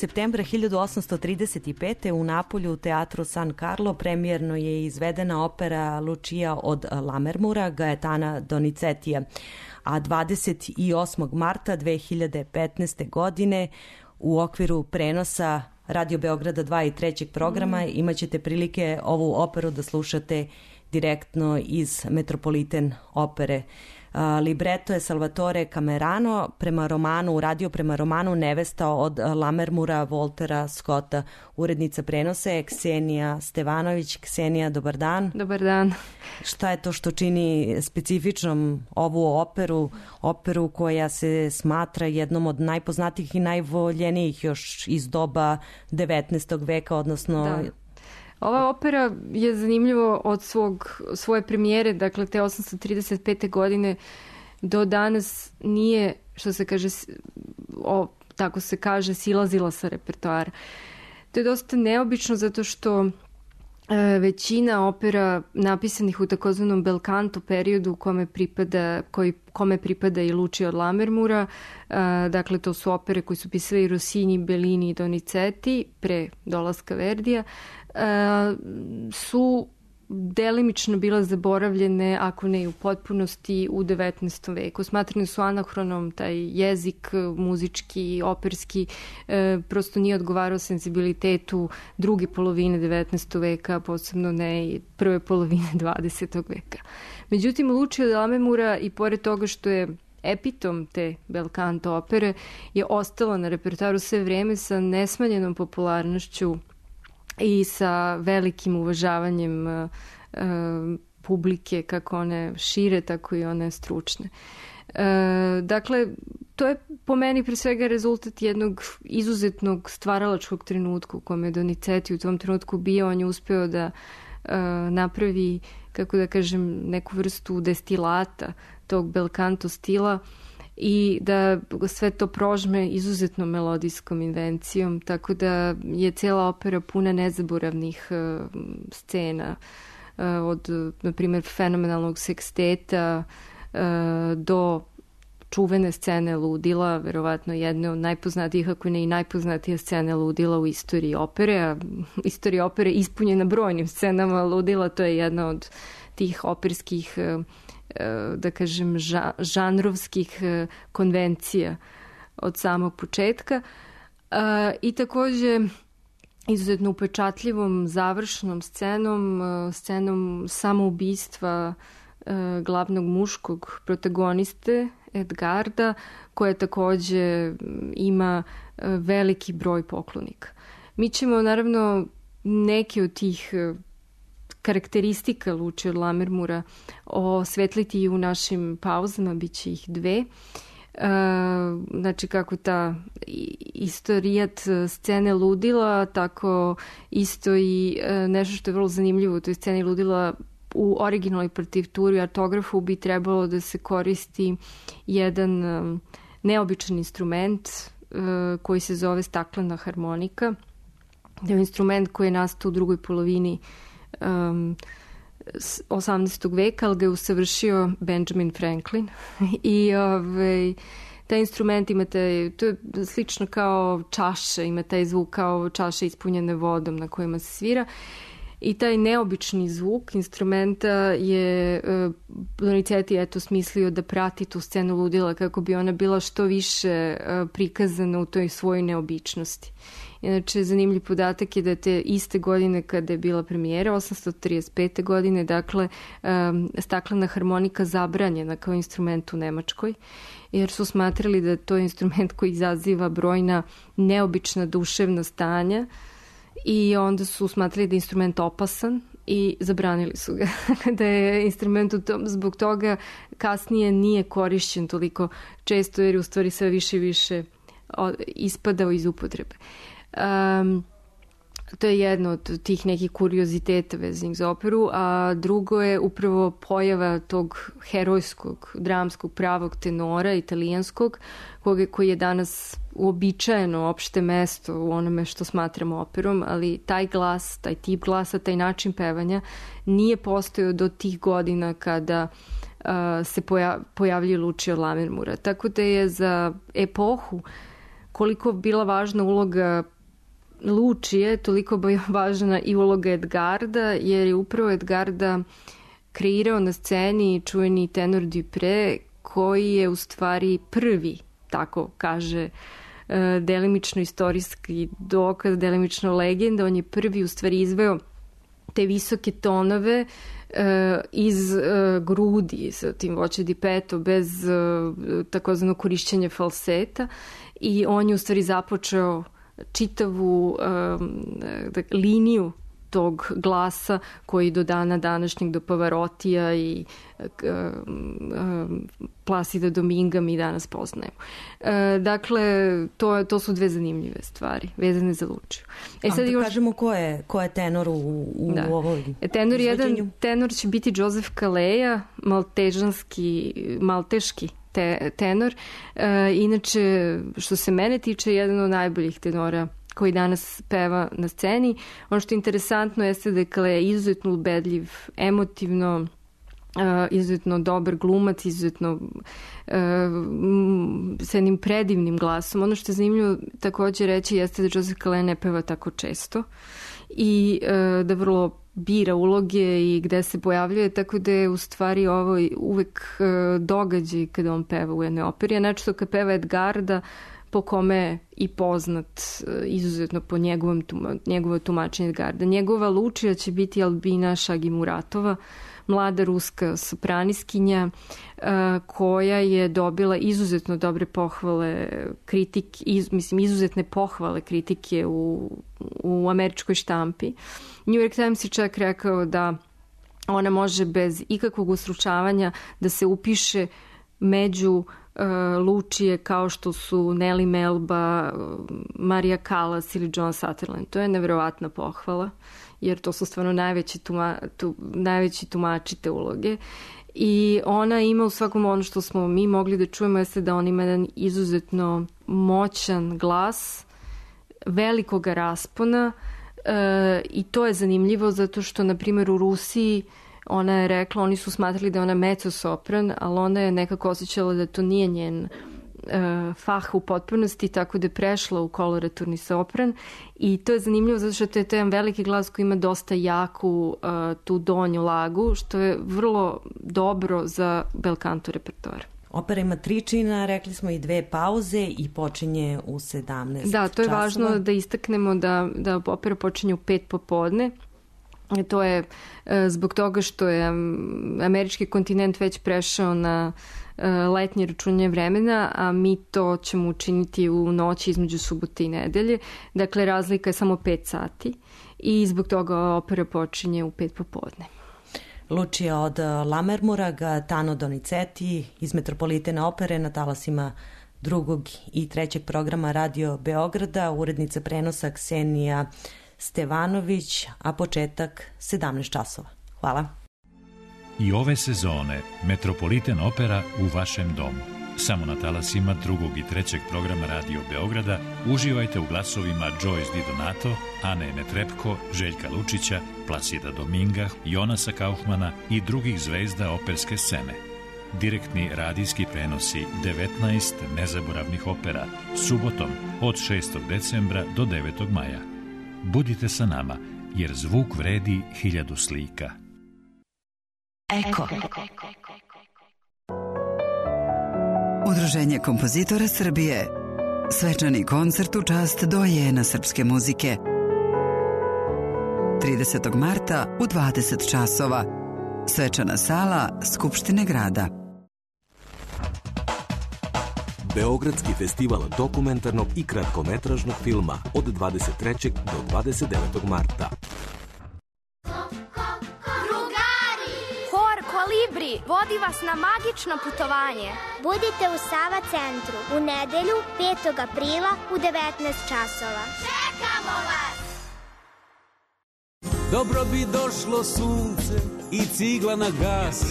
Septembra 1835. u Napolju u teatru San Carlo premijerno je izvedena opera Lucia od Lammermoora Gaetana Donizetija, a 28. marta 2015. godine u okviru prenosa Radio Beograda 2 i 3. programa imaćete prilike ovu operu da slušate direktno iz Metropoliten opere Libreto je Salvatore Camerano, uradio prema romanu Nevesta od Lammermoora Waltera Scotta. Urednica prenose je Ksenija Stevanović. Ksenija, dobar dan. Dobar dan. Šta je to što čini specifičnom ovu operu koja se smatra jednom od najpoznatijih i najvoljenijih još iz doba 19. veka, odnosno... Da. Ova opera je zanimljivo od svoje premijere, dakle te 835. godine do danas nije, što se kaže, tako se kaže, silazila sa repertoara. To je dosta neobično zato što većina opera napisanih u takozvanom bel canto periodu kome pripada i Lucio od Lammermoora, dakle to su opere koje su pisali Rossini, Bellini i Donizetti pre dolaska Verdija, su delimično bila zaboravljene, ako ne i u potpunosti, u 19. veku. Smatrani su anahronom, taj jezik muzički, operski, prosto nije odgovarao senzibilitetu druge polovine 19. veka, posebno ne i prve polovine 20. veka. Međutim, Lucio od Lammermoora, i pored toga što je epitom te bel canto opere, je ostala na repertoaru sve vreme sa nesmanjenom popularnošću i sa velikim uvažavanjem publike, kako one šire, tako i one stručne. Dakle, to je po meni pre svega rezultat jednog izuzetnog stvaralačkog trenutka u kome je Donizetti u tom trenutku bio. On je uspeo da napravi, kako da kažem, neku vrstu destilata tog bel canto stila i da sve to prožme izuzetno melodijskom invencijom, tako da je cijela opera puna nezaboravnih scena, od, na primjer, fenomenalnog seksteta do čuvene scene ludila, verovatno jedne od najpoznatijih, ako ne i najpoznatija scene ludila u istoriji opere, a istorija opere ispunjena brojnim scenama ludila, to je jedna od tih operskih, da kažem, žanrovskih konvencija od samog početka. I također izuzetno upečatljivom završnom scenom samoubistva glavnog muškog protagoniste Edgarda, koja također ima veliki broj poklonika. Mi ćemo naravno neke od tih karakteristika Lucio od Lammermoora osvetliti i u našim pauzama, bit će ih 2. Znači kako ta istorijat scene ludila, tako isto i nešto što je vrlo zanimljivo u toj sceni ludila. U originalnoj partituri, artografu, bi trebalo da se koristi jedan neobičan instrument koji se zove staklena harmonika. To je instrument koji je nastao u drugoj polovini 18. veka, ali ga je usavršio Benjamin Franklin. I taj instrument ima to je slično kao čaše, ima taj zvuk kao čaše ispunjene vodom na kojima se svira. I taj neobični zvuk instrumenta je Donizetti smislio da prati tu scenu ludila kako bi ona bila što više prikazana u toj svojoj neobičnosti. Inače, zanimljiv podatak je da te iste godine kada je bila premijera, 835. godine, dakle, staklena harmonika zabranjena kao instrument u Nemačkoj, jer su smatrali da to je instrument koji izaziva brojna neobična duševna stanja, i onda su smatrali da je instrument opasan i zabranili su ga. Da je instrument zbog toga kasnije nije korišćen toliko često, jer je u stvari sve više i više ispadao iz upotrebe. To je jedno od tih nekih kurioziteta vezanih za operu, a drugo je upravo pojava tog herojskog, dramskog, pravog tenora, italijanskog, koji je danas uobičajeno opšte mesto u onome što smatramo operom, ali taj glas, taj tip glasa, taj način pevanja nije postojao do tih godina kada se pojavljuje Lucio od Lammermoora. Tako da je za epohu koliko bila važna uloga Lucije, toliko bi važna i uloga Edgarda, jer je upravo Edgarda kreirao na sceni čuveni tenor Dupré, koji je u stvari prvi, tako kaže, delimično istorijski dokaz, delimično legenda. On je prvi u stvari izveo te visoke tonove iz grudi sa tim voce di petto bez takozvanog korišćenja falseta i on je u stvari započeo čitavu liniju tog glasa koji do dana današnjeg, do Pavarotija i Plasida Dominga mi danas poznajemo. Dakle, to su dve zanimljive stvari vezane za Lučiju. Sad još kažemo ko je tenor u ovoj tenor će biti Joseph Kaleja, malteški tenor. Inače, što se mene tiče, jedan od najboljih tenora koji danas peva na sceni. Ono što je interesantno jeste da je Kaleja izuzetno ubedljiv, emotivno, izuzetno dobar glumac, izuzetno sa jednim predivnim glasom. Ono što je zanimljivo takođe reći jeste da Joseph Kaleja ne peva tako često i da vrlo bira uloge i gde se pojavljuje, tako da je u stvari ovo uvek događaj kada on peva u jednoj operi, a načito kad peva Edgarda, po kome je i poznat izuzetno po njegovo tumačenje Edgarda. Njegova Lučija će biti Albina Šagimuratova, mlada ruska sopraniskinja koja je dobila izuzetno dobre pohvale izuzetne pohvale kritike u američkoj štampi. New York Times je čak rekao da ona može bez ikakvog ustručavanja da se upiše među Lučije kao što su Nellie Melba, Maria Callas ili John Sutherland. To je neverovatna pohvala, jer to su stvarno najveći tumači te uloge. I ona ima u svakom ono što smo mi mogli da čujemo jeste da on ima jedan izuzetno moćan glas, velikoga raspona i to je zanimljivo zato što, na primjer, u Rusiji ona je rekla, oni su smatrali da je ona mezzo-sopran, ali ona je nekako osjećala da to nije njen fah u potpunosti, tako da je prešla u koloraturni sopran i to je zanimljivo zato što to je jedan veliki glas koji ima dosta jaku tu donju lagu, što je vrlo dobro za bel canto repertoar. Opera ima 3 čina, rekli smo i 2 pauze i počinje u 17 časova. Da, to je važno da istaknemo da opera počinje u 5 popodne. To je zbog toga što je američki kontinent već prešao na letnje računanje vremena, a mi to ćemo učiniti u noći između subote i nedelje. Dakle, razlika je samo 5 sati i zbog toga opera počinje u 5 popodne. Lučija od Lammermoora, Tano Donizetti iz Metropolitene opere na talasima 2. i 3. programa Radio Beograda, urednica prenosa Ksenija Stevanović, a početak 17 časova. Hvala. I ove sezone Metropoliten opera u vašem domu. Samo na talasima 2. i 3. programa Radio Beograda uživajte u glasovima Joyce Di Donato, Ane Netrepko, Željka Lučića, Plasida Dominga, Jonasa Kaufmana i drugih zvezda operske scene. Direktni radijski prenosi 19 nezaboravnih opera subotom od 6. decembra do 9. maja. Budite sa nama, jer zvuk vredi 1000 slika. Eko. Udruženje kompozitora Srbije. Svečani koncert u čast dojena srpske muzike. 30. marta u 20 časova. Svečana sala Skupštine grada. Beogradski festival dokumentarnog i kratkometražnog filma od 23. do 29. marta. Drugari! Hor Kolibri vodi vas na magično putovanje. Budite u Sava centru u nedelju 5. aprila u 19 časova. Čekamo vas! Dobro bi došlo sunce i cigla na gas.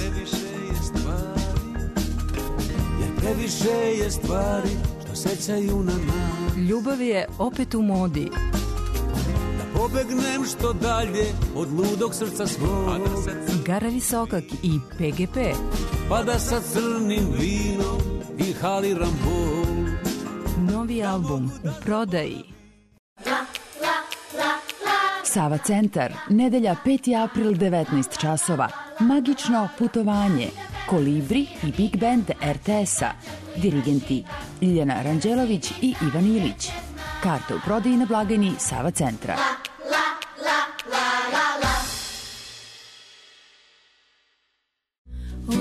Previše je stvari što sećaju na nas. Ljubav je opet u modi. Da pobegnem što dalje od ludog srca svog. Igara Visokak i PGP. Pa da sa crnim vinom inhaliram bol. Novi album u prodaji. Sava centar, nedelja 5. april 19 časova. Magično putovanje. Kolibri i Big Band RTS-a. Dirigenti Ljiljana Ranđelović i Ivan Ilić. Karte u prodaji na blagajni Sava centra.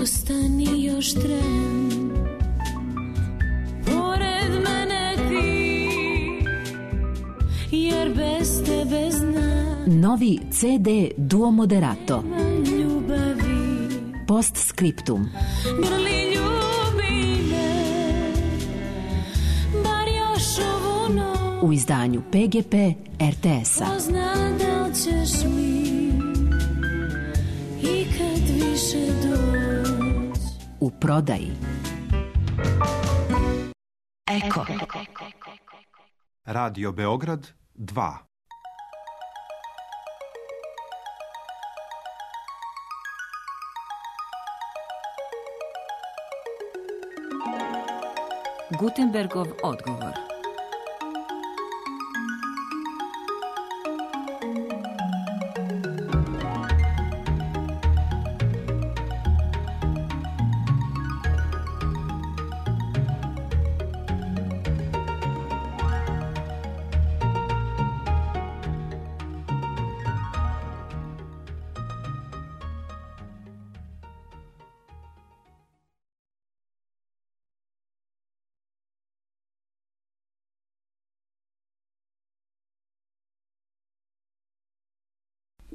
ostani još tren. Pored mene ti, jer bez tebe znam. Novi CD Duo Moderato. Ljubavi. Postscriptum. Grli ljubi me, bar još ovu noć. U izdanju PGP RTS-a. Ko zna da li ćeš mi ikad više doći. U prodaji. Eko. Radio Beograd 2. Gutenbergov odgovor.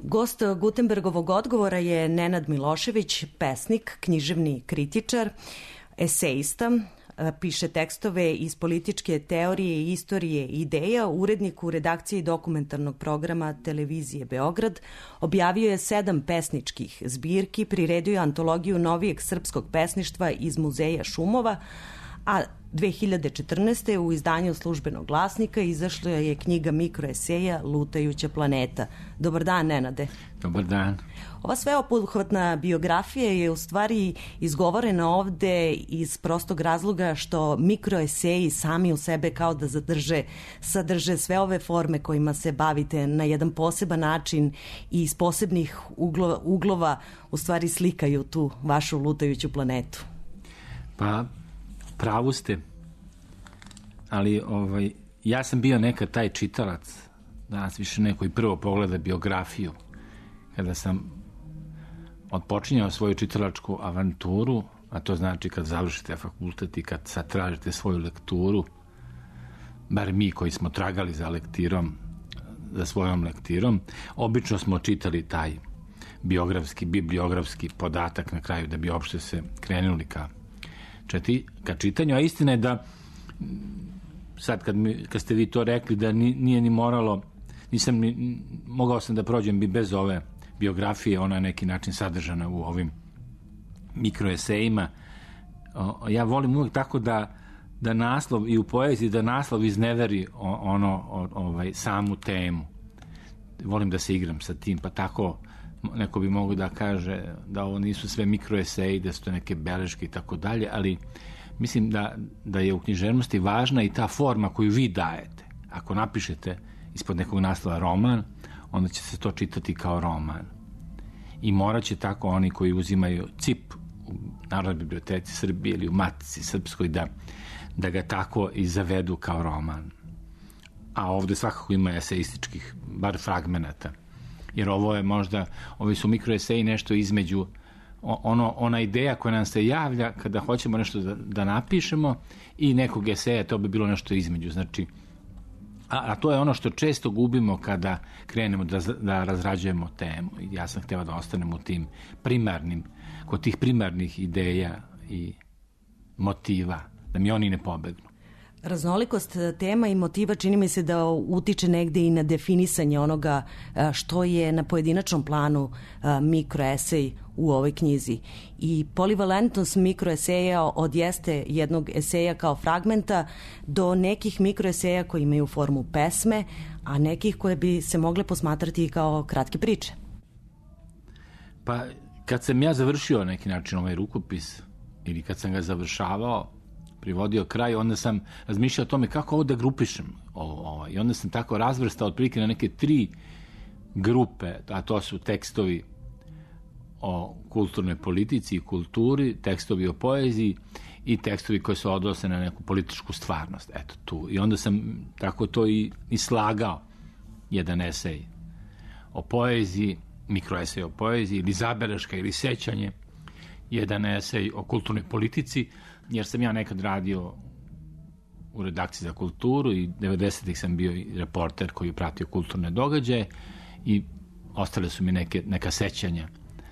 Gost Gutenbergovog odgovora je Nenad Milošević, pesnik, književni kritičar, esejista, piše tekstove iz političke teorije, istorije i ideja, urednik u redakciji dokumentarnog programa Televizije Beograd, objavio je 7 pesničkih zbirki, priredio antologiju novijeg srpskog pesništva iz Muzeja šumova, a 2014. u izdanju Službenog glasnika izašla je knjiga mikroeseja Lutajuća planeta. Dobar dan, Nenade. Dobar dan. Ova sveobuhvatna biografija je u stvari izgovorena ovde iz prostog razloga što mikroeseji sami u sebe kao da sadrže sve ove forme kojima se bavite na jedan poseban način i iz posebnih uglova u stvari slikaju tu vašu lutajuću planetu. Pa, pravu ste, ali ja sam bio nekad taj čitalac, danas više neko i prvo pogleda biografiju. Kada sam odpočinjao svoju čitalačku avanturu, a to znači kad završite fakultet i kad sad tražite svoju lekturu, bar mi koji smo tragali za lektirom, za svojom lektirom, obično smo čitali taj bibliografski podatak na kraju da bi uopšte se krenuli ka čitanju, a istina je da sad kad ste vi to rekli da nije ni moralo, mogao sam da prođem bi bez ove biografije, ona je neki način sadržana u ovim mikroesejima. Ja volim uvijek tako da naslov i u poeziji da naslov izneveri samu temu. Volim da se igram sa tim, pa tako neko bi mogo da kaže da ovo nisu sve mikroeseji, da su to neke beleške i tako dalje, ali mislim da je u književnosti važna i ta forma koju vi dajete. Ako napišete ispod nekog naslova roman, onda će se to čitati kao roman. I morat će tako oni koji uzimaju CIP u Narodnoj biblioteci Srbije ili u Matici Srpskoj da ga tako i zavedu kao roman. A ovde svakako ima eseističkih, bar fragmenata. Jer ovo je možda, ovi su mikroeseji nešto između ona ideja koja nam se javlja kada hoćemo nešto da napišemo i nekog eseja, to bi bilo nešto između. Znači, a to je ono što često gubimo kada krenemo da razrađujemo temu. Ja sam hteo da ostanem u tim kod tih primarnih ideja i motiva, da mi oni ne pobegnu. Raznolikost tema i motiva čini mi se da utiče negde i na definisanje onoga što je na pojedinačnom planu mikroesej u ovoj knjizi. I polivalentnost mikroeseja od jeste jednog eseja kao fragmenta do nekih mikroeseja koji imaju formu pesme, a nekih koje bi se mogle posmatrati kao kratke priče. Pa kad sam ja završio neki način ovaj rukopis ili kad sam ga završavao, privodio kraj, onda sam razmišljao o tome kako ovo da grupišem. I onda sam tako razvrstao otprilike na neke 3 grupe, a to su tekstovi o kulturnoj politici i kulturi, tekstovi o poeziji i tekstovi koji se odnose na neku političku stvarnost. Eto tu. I onda sam tako to i slagao. Jedan esej o poeziji, mikroesej o poeziji ili zabeleška ili sećanje, jedan esej o kulturnoj politici, jer sam ja nekad radio u redakciji za kulturu i 90-ih sam bio i reporter koji je pratio kulturne događaje i ostale su mi neka sećanja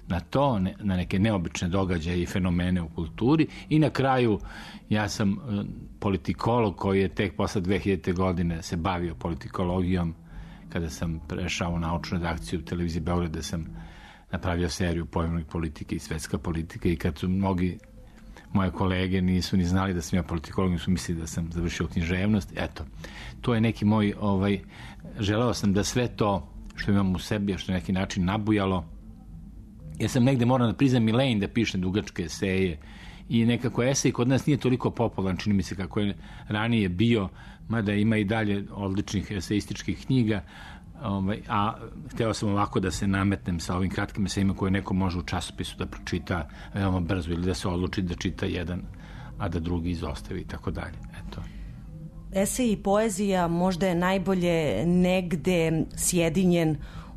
na to, na neke neobične događaje i fenomene u kulturi. I na kraju ja sam politikolog koji je tek posle 2000. godine se bavio politikologijom, kada sam prešao u naučnu redakciju u televiziji Beograd, da sam napravio seriju Pojmovnik politike i svetska politika, i kad su mnogi moje kolege nisu ni znali da sam ja politikolog, su mislili da sam završio književnost. Eto, to je neki moj, želeo sam da sve to što imam u sebi, što je neki način nabujalo. Ja sam negde, moram da priznam, i lenj da pišem dugačke eseje, i nekako esej kod nas nije toliko popularan, čini mi se, kako je ranije bio, mada ima i dalje odličnih eseističkih knjiga, a hteo sam ovako da se nametnem sa ovim kratkim esejima koje neko može u časopisu da pročita veoma brzo, ili da se odluči da čita jedan, a da drugi izostavi i tako dalje. Eto. Esej i poezija možda je najbolje negde sjedinjen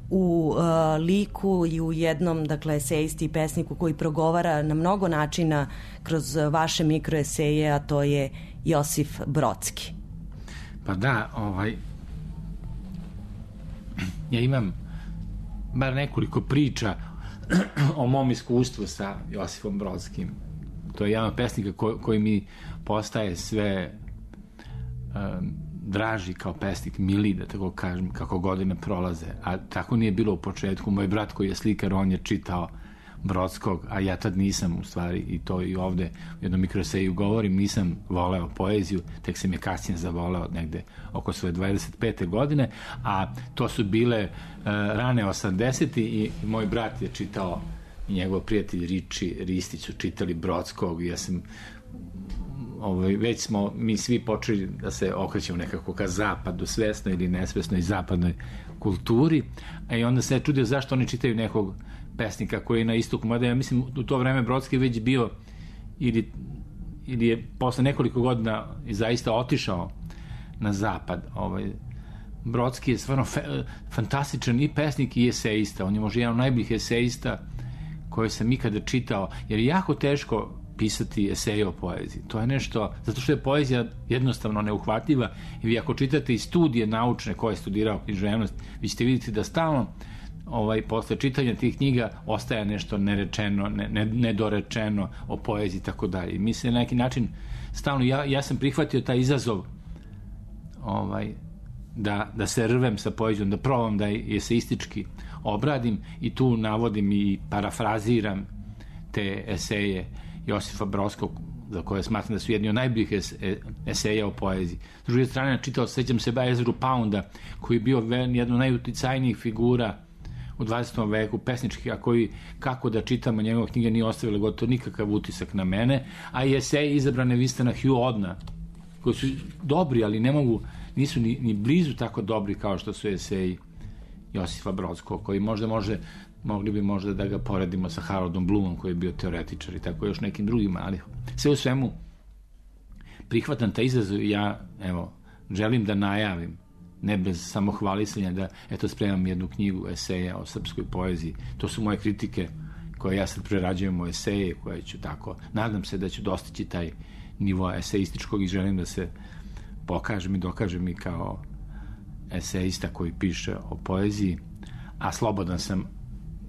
u liku i u jednom, dakle, esejisti i pesniku koji progovara na mnogo načina kroz vaše mikroeseje, a to je Josif Brodski. Pa da, ja imam bar nekoliko priča o mom iskustvu sa Josifom Brodskim. To je jedan od pesnika koji mi postaje sve draži kao pesnik, miliji, da tako kažem, kako godine prolaze. A tako nije bilo u početku. Moj brat koji je slikar, on je čitao Brodskog, a ja tad nisam, u stvari, i to i ovde u jednom mikroeseju govorim, nisam voleo poeziju, tek sam je kasnije zavoleo negde oko svoje 25. godine, a to su bile rane 80. i moj brat je čitao, i njegov prijatelj Riči Ristić su čitali Brodskog, i ja sam već smo mi svi počeli da se okrećemo nekako ka zapadu, svesno ili nesvesno, i zapadnoj kulturi, a i onda se čudio zašto oni čitaju nekog pesnika koji je na istoku, mada ja mislim u to vreme Brodski već bio ili je posle nekoliko godina i zaista otišao na zapad. Brodski je stvarno fantastičan i pesnik i eseista. On je možda jedan od najboljih eseista koje sam ikada čitao, jer je jako teško pisati eseje o poeziji. To je nešto, zato što je poezija jednostavno neuhvatljiva, i vi ako čitate i studije naučne koje je studirao književnost, vi ćete vidjeti da stalno posle čitanja tih knjiga ostaje nešto nerečeno, nedorečeno o poeziji i tako dalje. Mi se na neki način stalno, ja sam prihvatio taj izazov da se rvem sa poezijom, da probam da je eseistički obradim, i tu navodim i parafraziram te eseje Josifa Brodskog, za koje smatram da su jedni od najboljih eseja o poeziji. S druge strane, sećam se Ezru Pounda, koji je bio jedna od najuticajnijih figura u 20. veku, pesničkih, a koji, kako da čitamo njegove knjige, nije ostavila gotovo nikakav utisak na mene, a i eseji izabrane Winstona Hugh Odna, koji su dobri, ali nisu ni blizu tako dobri kao što su eseji Josifa Brodskog, koji mogli bi možda da ga poredimo sa Haroldom Bloomom, koji je bio teoretičar, i tako još nekim drugima, ali sve u svemu prihvatam taj izazov, i ja, želim da najavim, ne bez samohvalisanja, da spremam jednu knjigu eseja o srpskoj poeziji. To su moje kritike koje ja sad prerađujem u eseje, koje ću tako, nadam se da ću dostići taj nivo eseističkog, i želim da se pokažem i dokažem i kao eseista koji piše o poeziji, a slobodan sam,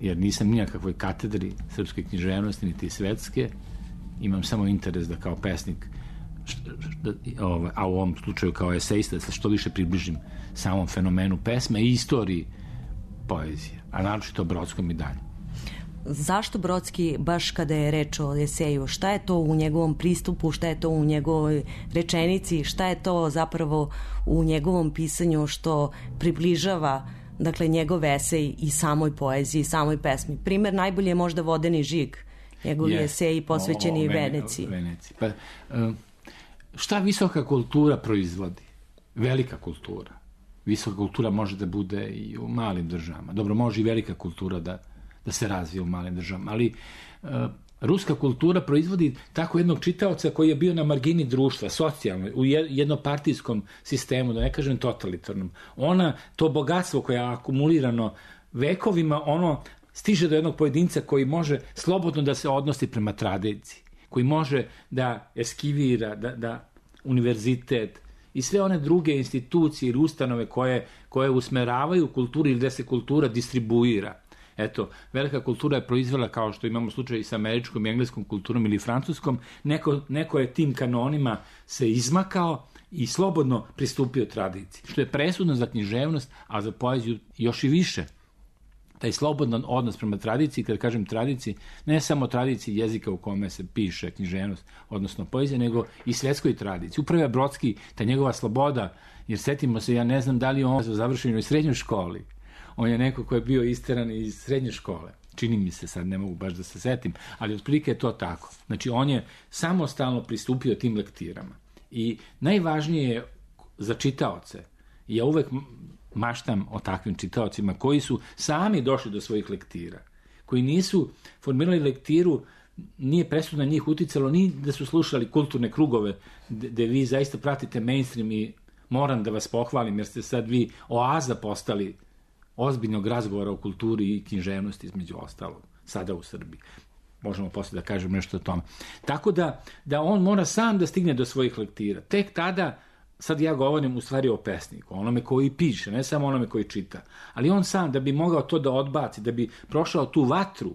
jer nisam nijakakvoj katedri srpske književnosti niti svetske, imam samo interes da kao pesnik, a u ovom slučaju kao eseista, da se što više približim samom fenomenu pesme i istoriji poezije, a naročito Brodskom i dalje. Zašto Brodski, baš kada je reč o eseju, šta je to u njegovom pristupu, šta je to u njegovoj rečenici, šta je to zapravo u njegovom pisanju što približava, dakle, njegov esej i samoj poeziji, samoj pesmi? Primer najbolje je možda Vodeni žig, njegovi eseji posvećeni Veneciji. Pa, šta visoka kultura proizvodi? Velika kultura. Visoka kultura može da bude i u malim državama. Dobro, može i velika kultura da se razvije u malim državama, ali ruska kultura proizvodi tako jednog čitaoca koji je bio na margini društva, socijalno, u jednopartijskom sistemu, da ne kažem totalitarnom. To bogatstvo koje je akumulirano vekovima, ono stiže do jednog pojedinca koji može slobodno da se odnosi prema tradiciji, koji može da eskivira, da univerzitet i sve one druge institucije ili ustanove koje usmeravaju kulturu ili gde se kultura distribuira. Eto, velika kultura je proizvela, kao što imamo slučaj i sa američkom i engleskom kulturom ili francuskom, neko je tim kanonima se izmakao i slobodno pristupio tradiciji, što je presudno za književnost, a za poeziju još i više. Taj slobodan odnos prema tradiciji, kad kažem tradiciji, ne samo tradiciji jezika u kome se piše književnost, odnosno poezija, nego i svetskoj tradiciji. Upravo je Brodski, ta njegova sloboda, jer setimo se, ja ne znam da li on završen u srednjoj školi. On je neko ko je bio isteran iz srednje škole. Čini mi se, sad ne mogu baš da se setim, ali otprilike je to tako. Znači, on je samostalno pristupio tim lektirama. I najvažnije je za čitaoce, ja uvek maštam o takvim čitaocima koji su sami došli do svojih lektira, koji nisu formirali lektiru, nije presudno na njih uticalo ni da su slušali kulturne krugove gde vi zaista pratite mainstream i moram da vas pohvalim jer ste sad vi oaza postali ozbiljnog razgovora o kulturi i književnosti između ostalog, sada u Srbiji. Možemo posle da kažem nešto o tome. Tako da on mora sam da stigne do svojih lektira. Tek tada, sad ja govorim u stvari o pesniku, onome koji piše, ne samo onome koji čita, ali on sam da bi mogao to da odbaci, da bi prošao tu vatru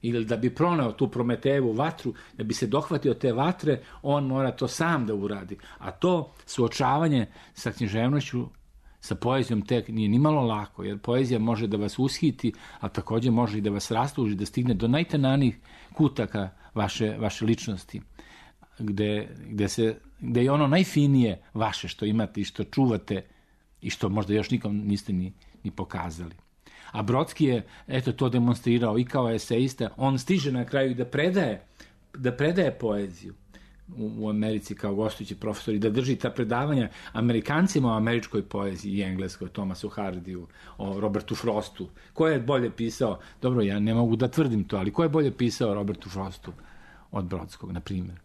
ili da bi proneo tu Prometejevu vatru, da bi se dohvatio te vatre, on mora to sam da uradi. A to suočavanje sa književnošću, sa poezijom tek nije nimalo lako, jer poezija može da vas ushiti, a takođe može i da vas rastuži, da stigne do najtananijih kutaka vaše ličnosti, gde je ono najfinije vaše što imate i što čuvate i što možda još nikom niste ni pokazali. A Brodski je to demonstrirao i kao eseista, on stiže na kraju da predaje poeziju u Americi kao gostujući profesor i da drži ta predavanja Amerikancima o američkoj poeziji i engleskoj, Thomasu Hardiju, o Robertu Frostu. Ko je bolje pisao, dobro, ja ne mogu da tvrdim to, ali ko je bolje pisao Robertu Frostu od Brodskog, na primjer?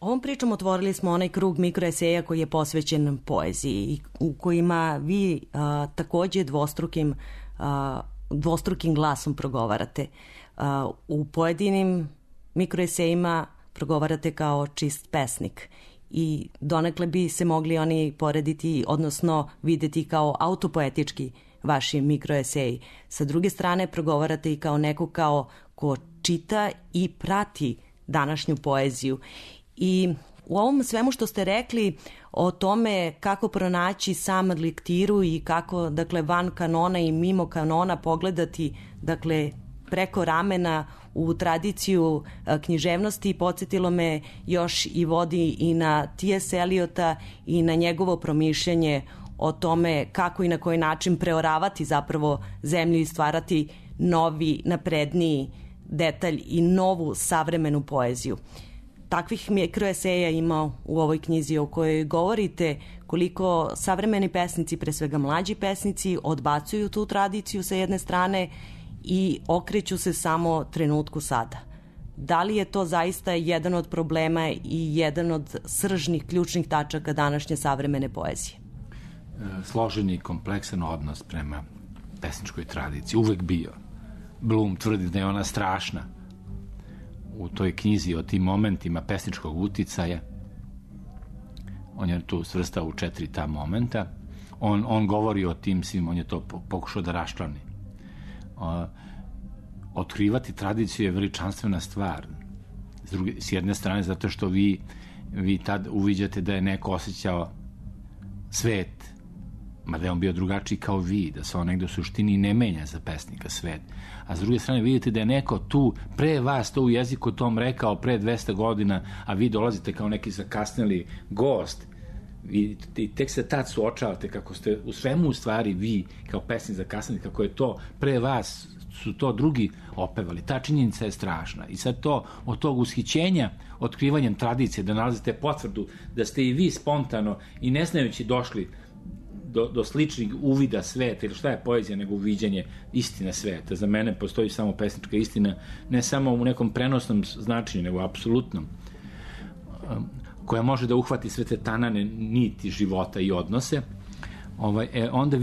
Ovom pričom otvorili smo onaj krug mikroeseja koji je posvećen poeziji, u kojima vi takođe dvostrukim glasom progovarate. U pojedinim mikroesejima progovarate kao čist pesnik i donekle bi se mogli oni porediti, odnosno videti kao autopoetički vaši mikroeseji. Sa druge strane progovarate i kao neko ko čita i prati današnju poeziju. I u ovom svemu što ste rekli o tome kako pronaći sam lektiru i kako, dakle, van kanona i mimo kanona pogledati, dakle, preko ramena u tradiciju književnosti, podsjetilo me još i vodi i na T.S. Eliota i na njegovo promišljanje o tome kako i na koji način preoravati zapravo zemlju i stvarati novi, napredniji detalj i novu savremenu poeziju. Takvih mikroeseja ima u ovoj knjizi o kojoj govorite koliko savremeni pesnici, pre svega mlađi pesnici, odbacuju tu tradiciju sa jedne strane i okreću se samo trenutku sada. Da li je to zaista jedan od problema i jedan od sržnih, ključnih tačaka današnje savremene poezije? Složen i kompleksan odnos prema pesničkoj tradiciji, uvek bio. Blum tvrdi da je ona strašna. U toj knjizi o tim momentima pesničkog uticaja, on je tu svrstao u 4 ta momenta, on govori o tim svim, on je to pokušao da raščlani. Otkrivati tradiciju je veličanstvena stvar. S jedne strane zato što vi tad uviđate da je neko osjećao svet, mada je on bio drugačiji kao vi, da se on negde u suštini ne menja za pesnika svet. A s druge strane vidite da je neko tu pre vas to u jeziku tom rekao pre 200 godina, a vi dolazite kao neki zakasneli gost i tek se tad suočavate kako ste u svemu u stvari vi kao pesnik zakasneli, kako je to pre vas su to drugi opevali. Ta činjenica je strašna. I sad to od tog ushićenja, otkrivanjem tradicije, da nalazite potvrdu da ste i vi spontano i ne znajući došli do sličnih uvida sveta, ili šta je poezija nego uviđanje istine sveta. Za mene postoji samo pesnička istina, ne samo u nekom prenosnom značenju, nego apsolutnom, koja može da uhvati sve te tanane niti života i odnose. Onda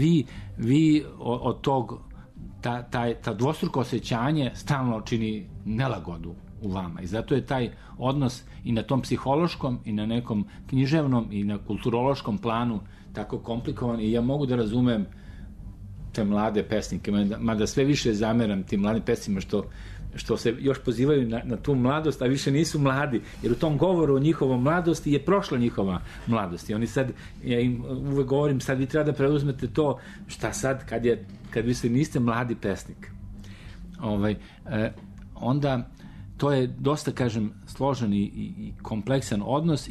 vi od tog ta dvostruko osjećanje stalno čini nelagodu u vama i zato je taj odnos i na tom psihološkom i na nekom književnom i na kulturološkom planu tako komplikovan i ja mogu da razumem te mlade pesnike, mada sve više zameram tim mladim pesnicima što se još pozivaju na tu mladost, a više nisu mladi, jer u tom govoru o njihovom mladosti je prošla njihova mladost i oni sad, ja im uvek govorim, sad vi treba da preuzmete to, šta sad kad vi se niste mladi pesnik. Onda to je dosta, kažem, složen i kompleksan odnos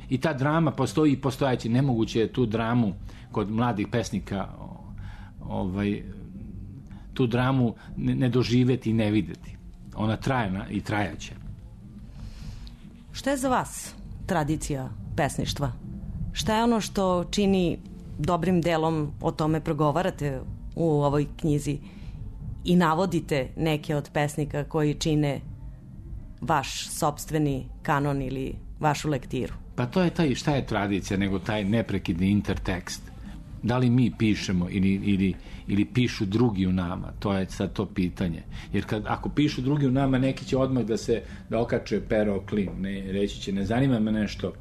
i ta drama postoji i postojaće, nemoguće je tu dramu kod mladih pesnika tu dramu ne doživeti i ne videti. Ona trajna i trajaće. Šta je za vas tradicija pesništva? Šta je ono što čini dobrim delom, o tome progovarate u ovoj knjizi i navodite neke od pesnika koji čine vaš sopstveni kanon ili vašu lektiru? Pa to je šta je tradicija nego taj neprekidni intertekst. Da li mi pišemo ili pišu drugi u nama, to je sad to pitanje. Jer ako pišu drugi u nama, neki će odmah da okače pero klin, reći će, ne zanima me nešto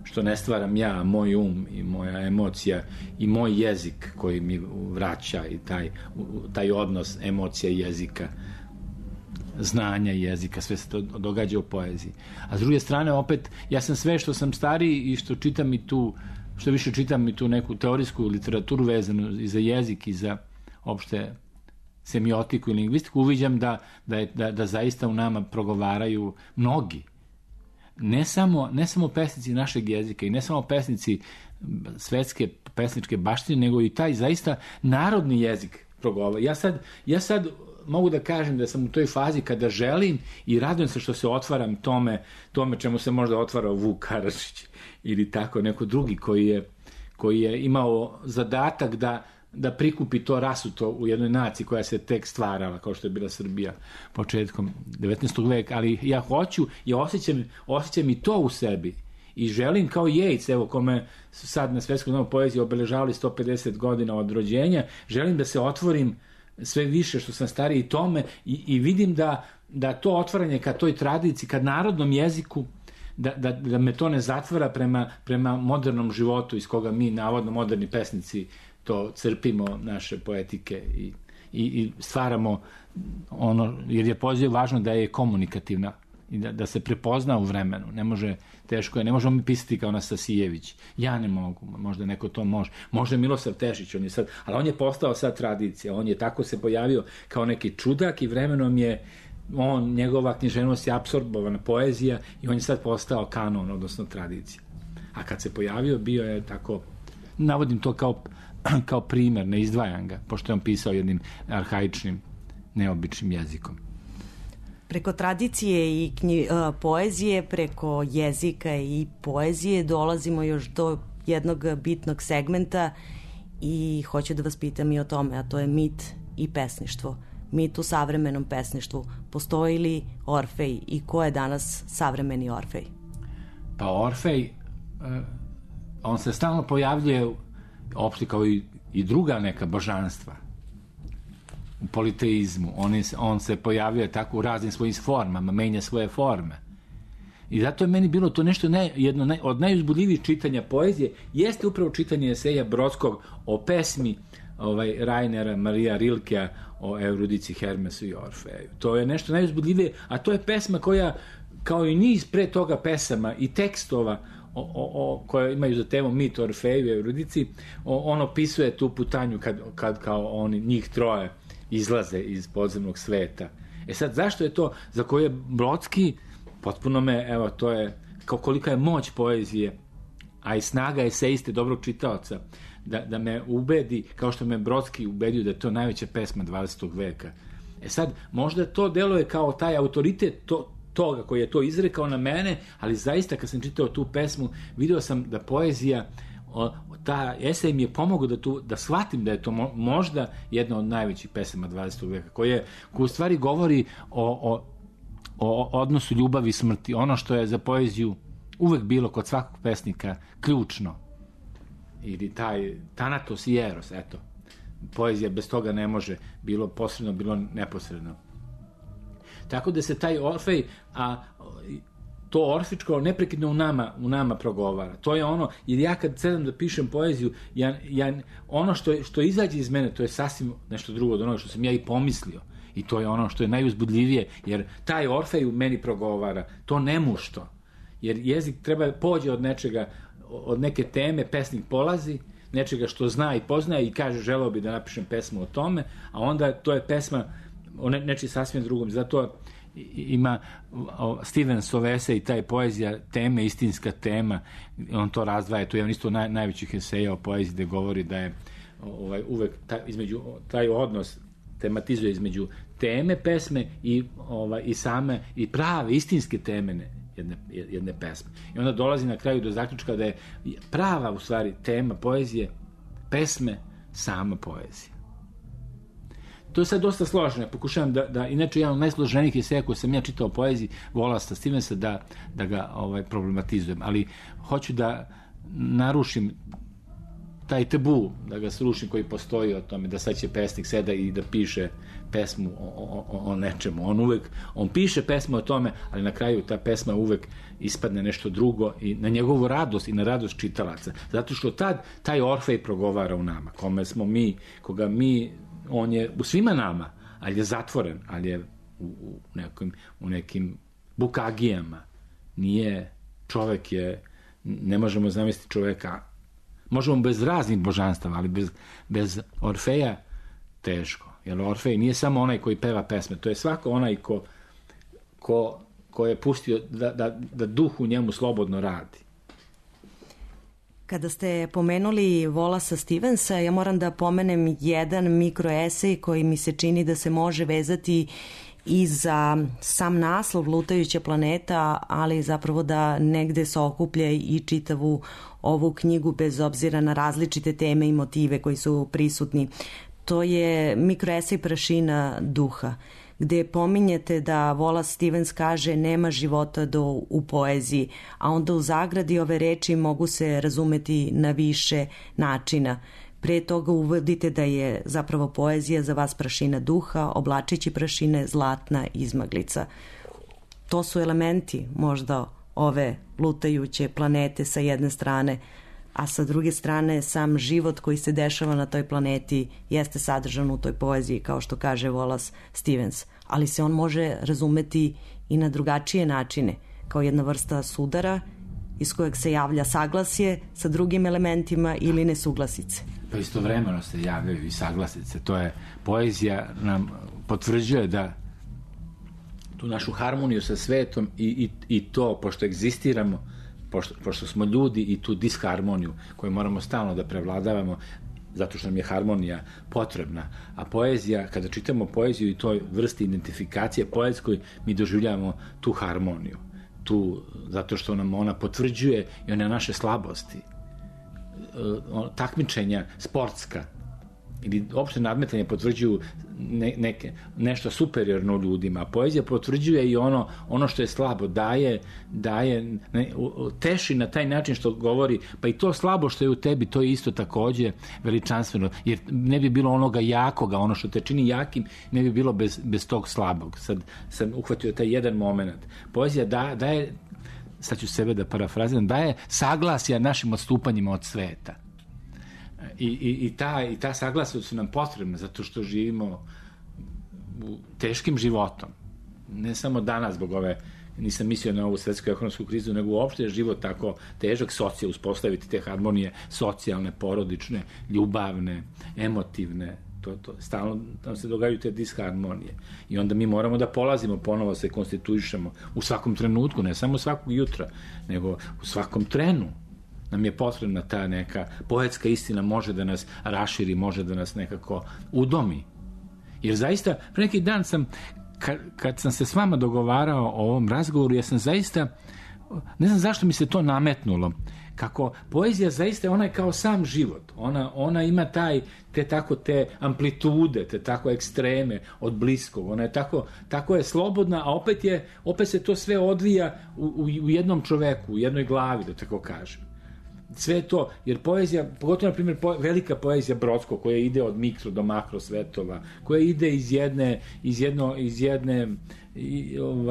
što ne stvaram ja, moj i moja emocija i moj jezik koji mi vraća i taj odnos emocija i jezika, znanja i jezika, sve se to događa u poeziji. A s druge strane, opet, ja sam sve što sam stariji i što čitam i tu, što više čitam i tu neku teorijsku literaturu vezanu i za jezik i za opšte semiotiku i lingvistiku, uviđam da zaista u nama progovaraju mnogi. Ne samo pesnici našeg jezika i ne samo pesnici svetske pesničke baštine, nego i taj zaista narodni jezik progovara. Ja sad mogu da kažem da sam u toj fazi kada želim i radujem se što se otvaram tome čemu se možda otvarao Vuk Karadžić ili tako neko drugi koji je imao zadatak da prikupi to rasuto u jednoj naciji koja se tek stvarala, kao što je bila Srbija početkom 19. veka, ali ja hoću i osjećam i to u sebi i želim kao Yeats, evo kome su sad na Svetskom domu poezije obeležavali 150 godina od rođenja, želim da se otvorim sve više što sam stariji tome i vidim da to otvaranje ka toj tradiciji, ka narodnom jeziku, da me to ne zatvara prema modernom životu iz koga mi, navodno moderni pesnici, to crpimo, naše poetike i stvaramo ono, jer je poezija važno da je komunikativna i da se prepozna u vremenu. Teško je, ne možemo mi pisati kao Anastasijević. Ja ne mogu, možda neko to može. Možda Milosav Tešić, ali on je postao sad tradicija, on je tako se pojavio kao neki čudak i vremenom je njegova književnost je apsorbovana poezija i on je sad postao kanon, odnosno tradicija. A kad se pojavio, bio je tako, navodim to kao primer, ne izdvajam ga, pošto je on pisao jednim arhaičnim, neobičnim jezikom. Preko tradicije i poezije, preko jezika i poezije dolazimo još do jednog bitnog segmenta i hoću da vas pitam i o tome, a to je mit i pesništvo. Mit u savremenom pesništvu. Postoji li Orfej i ko je danas savremeni Orfej? Pa Orfej, on se stalno pojavljuje opšte kao i druga neka božanstva u politeizmu. On se pojavljuje tako u raznim svojim formama, menja svoje forme. I zato je meni bilo to nešto jedno od najuzbudljivijih čitanja poezije, jeste upravo čitanje eseja Brodskog o pesmi Rainera Marija Rilkea o Eurudici, Hermesu i Orfeju. To je nešto najuzbudljivije, a to je pesma koja, kao i niz pre toga pesama i tekstova koje imaju za temu mit o Orfeju i Eurudici, on opisuje tu putanju kad kao oni, njih troje, izlaze iz podzemnog sveta. Sad, zašto je to za koje je Brodski, potpuno to je kolika je moć poezije, a i snaga eseiste, dobrog čitaoca, da me ubedi, kao što me Brodski ubedio da je to najveća pesma 20. veka. Sad, možda to deluje kao taj autoritet toga koji je to izrekao na mene, ali zaista kad sam čitao tu pesmu, video sam da poezija, ta esej mi je pomogao da shvatim da je to možda jedna od najvećih pesama 20. veka, koja u stvari govori o odnosu ljubavi i smrti, ono što je za poeziju uvek bilo kod svakog pesnika ključno, ili taj Thanatos i Eros, eto, poezija bez toga ne može, bilo posredno, bilo neposredno. Tako da se taj Orfej, a to orfičko neprekidno u nama progovara. To je ono, jer ja kad sedam da pišem poeziju, ono što izađe iz mene, to je sasvim nešto drugo od onoga što sam ja i pomislio. I to je ono što je najuzbudljivije, jer taj Orfej u meni progovara, to nemušto. Jer jezik treba pođe od nečega, od neke teme, pesnik polazi, nečega što zna i poznaje i kaže želeo bi da napišem pesmu o tome, a onda to je pesma o nečiji sasvim drugom. Zato ima Stevensov esej, taj poezija teme, istinska tema, on to razdvaja, to je isto najvećih eseja o poeziji gde govori da je uvek taj odnos tematizuje između teme pesme i same i prave istinske teme jedne pesme. I onda dolazi na kraju do zaključka da je prava u stvari tema poezije, pesme, sama poezija. To je sad dosta složeno. Ja pokušavam da inače jedan od najsloženijih eseja koje sam ja čitao o poeziji Wallace Stevensa da ga problematizujem, ali hoću da narušim taj tabu, da ga srušim koji postoji o tome, da sad će pesnik seda i da piše pesmu o nečemu. On piše pesmu o tome, ali na kraju ta pesma uvek ispadne nešto drugo i na njegovu radost i na radost čitalaca. Zato što taj Orfej progovara u nama, koga mi, on je u svima nama, ali je zatvoren, ali je u nekim bukagijama. Nije, čovek je, ne možemo zamisliti čoveka, možemo bez raznih božanstava, ali bez Orfeja teško. Jer Orfej nije samo onaj koji peva pesme, to je svako onaj ko je pustio da duh u njemu slobodno radi. Kada ste pomenuli Wallace Stevensa, ja moram da pomenem jedan mikroesej koji mi se čini da se može vezati i za sam naslov Lutajuća planeta, ali zapravo da negde se okuplja i čitavu ovu knjigu bez obzira na različite teme i motive koji su prisutni. To je mikroesej Prašina duha, gde pominjete da Wallace Stevens kaže nema života u poeziji, a onda u zagradi ove reči mogu se razumeti na više načina. Pre toga uvodite da je zapravo poezija za vas prašina duha, oblačići prašine zlatna izmaglica. To su elementi možda ove lutajuće planete sa jedne strane, a sa druge strane sam život koji se dešava na toj planeti jeste sadržan u toj poeziji, kao što kaže Wallace Stevens, ali se on može razumeti i na drugačije načine, kao jedna vrsta sudara iz kojeg se javlja saglasje sa drugim elementima ili nesuglasice. Pa istovremeno se javljaju i saglasice. To je, poezija nam potvrđuje da tu našu harmoniju sa svetom i to, pošto egzistiramo, pošto smo ljudi, i tu disharmoniju koju moramo stalno da prevladavamo, zato što nam je harmonija potrebna. A poezija, kada čitamo poeziju i toj vrsti identifikacije poetskoj, mi doživljavamo tu harmoniju. Zato što nam ona potvrđuje i one naše slabosti. Takmičenja sportska ili opšte nadmetanje potvrđuju nešto superiorno ljudima. Poezija potvrđuje i ono što je slabo, teši na taj način što govori, pa i to slabo što je u tebi, to je isto takođe veličanstveno, jer ne bi bilo onoga jakoga, ono što te čini jakim, ne bi bilo bez tog slabog. Sad sam uhvatio taj jedan moment. Poezija daje, sad ću sebe da parafraziram, daje saglasja našim odstupanjima od sveta. I ta saglasja su nam potrebna zato što živimo teškim životom. Ne samo danas zbog nisam mislio na ovu svetsku ekonomsku krizu, nego uopšte je život tako težak, uspostaviti te harmonije socijalne, porodične, ljubavne, emotivne. Stalno nam se događaju te disharmonije. I onda mi moramo da polazimo, ponovo se konstituišemo u svakom trenutku, ne samo svakog jutra, nego u svakom trenu. Nam je potrebna ta neka poetska istina, može da nas raširi, može da nas nekako udomi. Jer zaista, pre neki dan kad sam se s vama dogovarao o ovom razgovoru, ja sam zaista, ne znam zašto mi se to nametnulo, kako poezija zaista, ona je kao sam život. Ona ima te amplitude, te tako ekstreme od bliskog. Ona je tako je slobodna, a opet se to sve odvija u jednom čoveku, u jednoj glavi, da tako kažem. sve to, jer poezija, pogotovo na primjer velika poezija Brodskog, koja ide od mikro do makro svetova, koja ide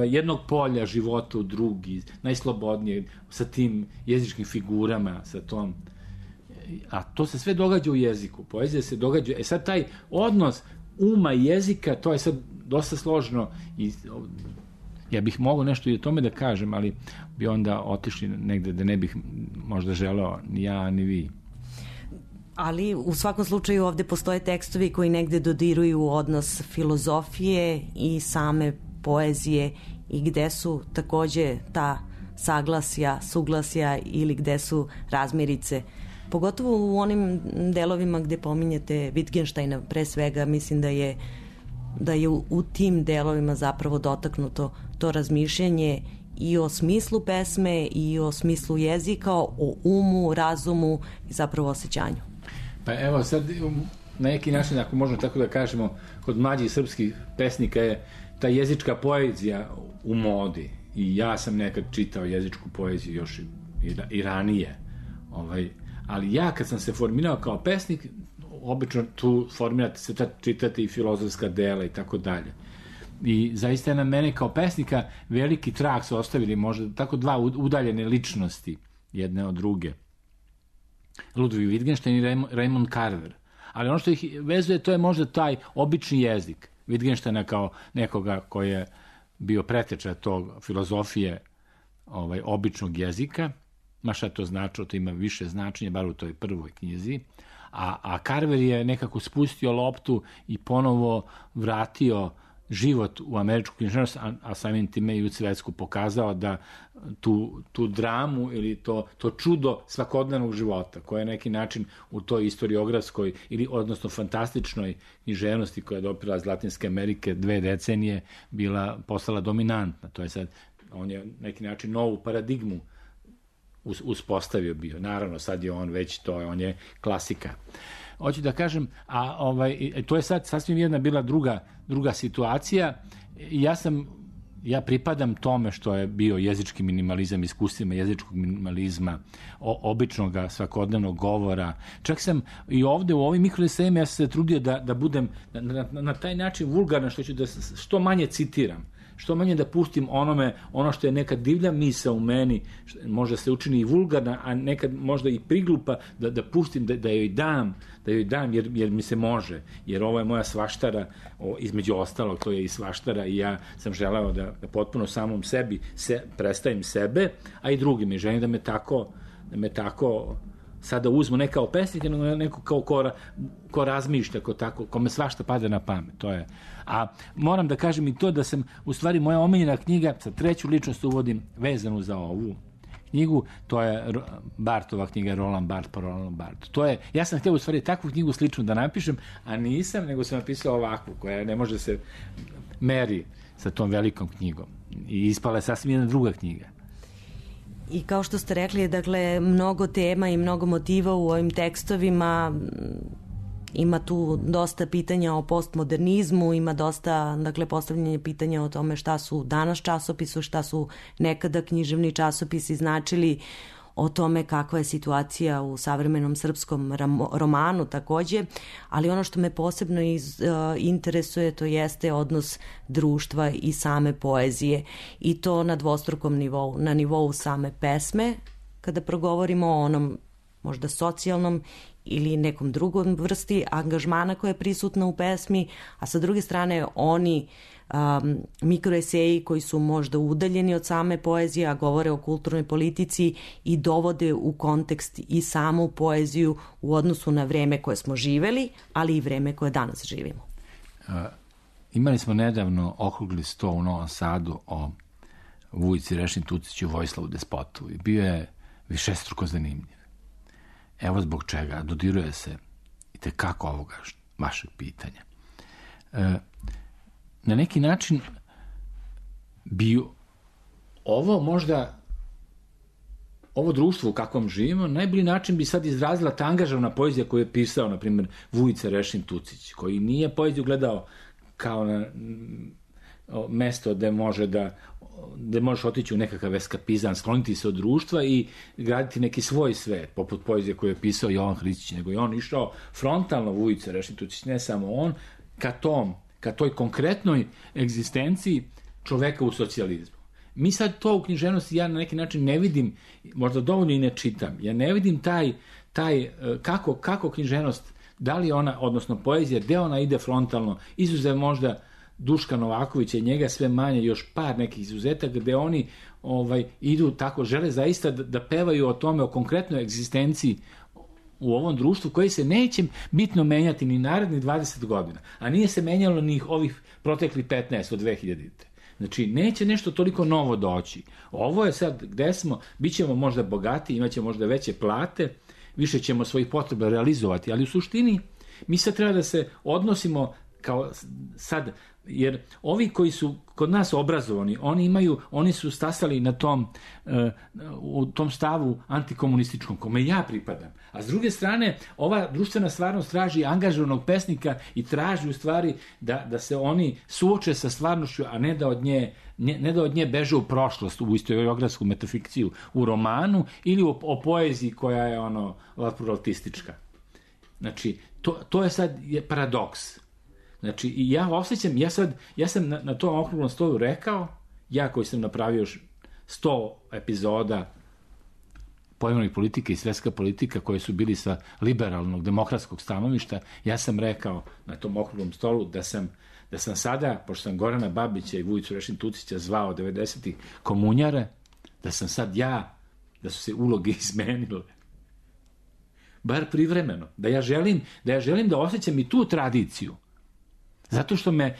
jednog polja života u drugi, najslobodnije, sa tim jezičkim figurama, sa tom, a to se sve događa u jeziku, poezija se događa, sad taj odnos uma i jezika, to je sad dosta složno i ja bih mogao nešto i o tome da kažem, ali bi onda otišli negde da ne bih možda želeo ni ja ni vi. Ali u svakom slučaju ovde postoje tekstovi koji negde dodiruju odnos filozofije i same poezije i gde su takođe ta saglasja, suglasja ili gde su razmirice. Pogotovo u onim delovima gde pominjete Wittgensteina, pre svega mislim da je u tim delovima zapravo dotaknuto to razmišljanje i o smislu pesme i o smislu jezika, o umu, razumu i zapravo osjećanju. Pa evo sad na neki način, ako možemo tako da kažemo, kod mlađih srpskih pesnika je ta jezička poezija u modi i ja sam nekad čitao jezičku poeziju još i ranije, ali ja kad sam se formirao kao pesnik, obično tu formirate se, čitate i filozofska dela i tako dalje. I zaista je na mene kao pesnika veliki trag su ostavili možda tako dva udaljene ličnosti jedne od druge. Ludwig Wittgenstein i Raymond Carver. Ali ono što ih vezuje, to je možda taj obični jezik. Wittgensteina kao nekoga koji je bio preteča tog filozofije običnog jezika, ma šta to značilo, to ima više značenja, bar u toj prvoj knjizi, a Carver je nekako spustio loptu i ponovo vratio život u američku književnost, a samim time i u svetsku, pokazao da tu dramu ili to čudo svakodnevnog života, koje je neki način u toj istoriografskoj ili odnosno fantastičnoj književnosti koja je dopila iz Latinske Amerike 2 decenije postala dominantna. To je sad, on je neki način novu paradigmu uspostavio bio. Naravno, sad je on već on je klasika. Hoću da kažem, to je sad sasvim jedna bila druga situacija. Ja pripadam tome što je bio jezički minimalizam, iskustvima jezičkog minimalizma, običnog svakodnevnog govora. Čak sam i ovde u ovim mikroesejima ja sam se trudio da budem na taj način vulgarno, što ću da što manje citiram, što manje da pustim ono što je neka divlja misao u meni, možda se učini i vulgarna, a nekad možda i priglupa, da pustim, da joj dam, jer mi se može, jer ovo je moja svaštara, između ostalog, to je i svaštara i ja sam želeo da potpuno samom sebi predstavim sebe, a i drugim, i želim da me tako sada uzmu ne kao pesnik, nego neko kao ko razmišlja, kome svašta pada na pamet, to je. A moram da kažem i to da sam, u stvari, moja omiljena knjiga, sa treću ličnost uvodim vezanu za ovu knjigu, to je Barthova knjiga Roland Barthes po Roland Barthes. To je, ja sam htio u stvari takvu knjigu sličnu da napišem, a nisam, nego sam napisao ovakvu, koja ne može se meri sa tom velikom knjigom. I ispala je sasvim jedna druga knjiga. I kao što ste rekli, dakle, mnogo tema i mnogo motiva u ovim tekstovima, ima tu dosta pitanja o postmodernizmu, ima dosta, dakle, postavljanje pitanja o tome šta su danas časopisu, šta su nekada književni časopisi značili, o tome kakva je situacija u savremenom srpskom romanu takođe, ali ono što me posebno interesuje, to jeste odnos društva i same poezije, i to na dvostrukom nivou, na nivou same pesme, kada progovorimo o onom možda socijalnom ili nekom drugom vrsti angažmana koja je prisutna u pesmi, a sa druge strane oni mikroeseji koji su možda udaljeni od same poezije, a govore o kulturnoj politici i dovode u kontekst i samu poeziju u odnosu na vreme koje smo živeli, ali i vreme koje danas živimo. Imali smo nedavno okrugli sto u Novom Sadu o Vujici Rešin Tuciću, Vojislavu Despotu, i bio je višestruko zanimljiv. Evo zbog čega dodiruje se i tekako ovoga vašeg pitanja. Na neki način bi ovo društvo u kakvom živimo, najbolji način bi sad izrazila ta angažovna poezija koju je pisao, na primjer, Vujica Rešin Tucić, koji nije poeziju gledao kao na mesto gde može da da možeš otići u nekakav eskapizam, skloniti se od društva i graditi neki svoj svet, poput poezije koju je pisao Jovan Hristić, nego je on išao frontalno, Vujica Rešitučić, ne samo on, ka toj konkretnoj egzistenciji čoveka u socijalizmu. Mi sad to u književnosti ja na neki način ne vidim, možda dovoljno i ne čitam, ja ne vidim taj kako književnost, da li ona, odnosno poezija, gde ona ide frontalno, izuzev možda Duška Novakovića i njega sve manje, još par nekih izuzetaka gde oni idu tako, žele zaista da pevaju o tome, o konkretnoj egzistenciji u ovom društvu koji se neće bitno menjati ni narednih 20 godina, a nije se menjalo ni ovih proteklih 15 od 2000. Znači, neće nešto toliko novo doći. Ovo je sad gde smo, bit ćemo možda bogati, imat ćemo možda veće plate, više ćemo svojih potreba realizovati, ali u suštini mi sad treba da se odnosimo kao sad, jer ovi koji su kod nas obrazovani, oni su stasali na u tom stavu antikomunističkom, kome ja pripadam. A s druge strane, ova društvena stvarnost traži angažovanog pesnika i traži u stvari da se oni suoče sa stvarnošću, a ne da od nje beže u prošlost, u istoriografsku metafikciju, u romanu ili o poeziji koja je pluralistička. Znači, to je sad paradoks. Znači, ja osjećam, ja sam na tom okruglom stolu rekao, ja koji sam napravio 100 epizoda pojmovnih politika i svetska politika koje su bili sa liberalnog, demokratskog stanovišta, ja sam rekao na tom okruglom stolu da sam sada, pošto sam Gorana Babića i Vujicu Rešin-Tucića zvao 90-ih komunjare, da sam sad da su se uloge izmenile. Bar privremeno. Da ja želim da osjećam i tu tradiciju. Zato što me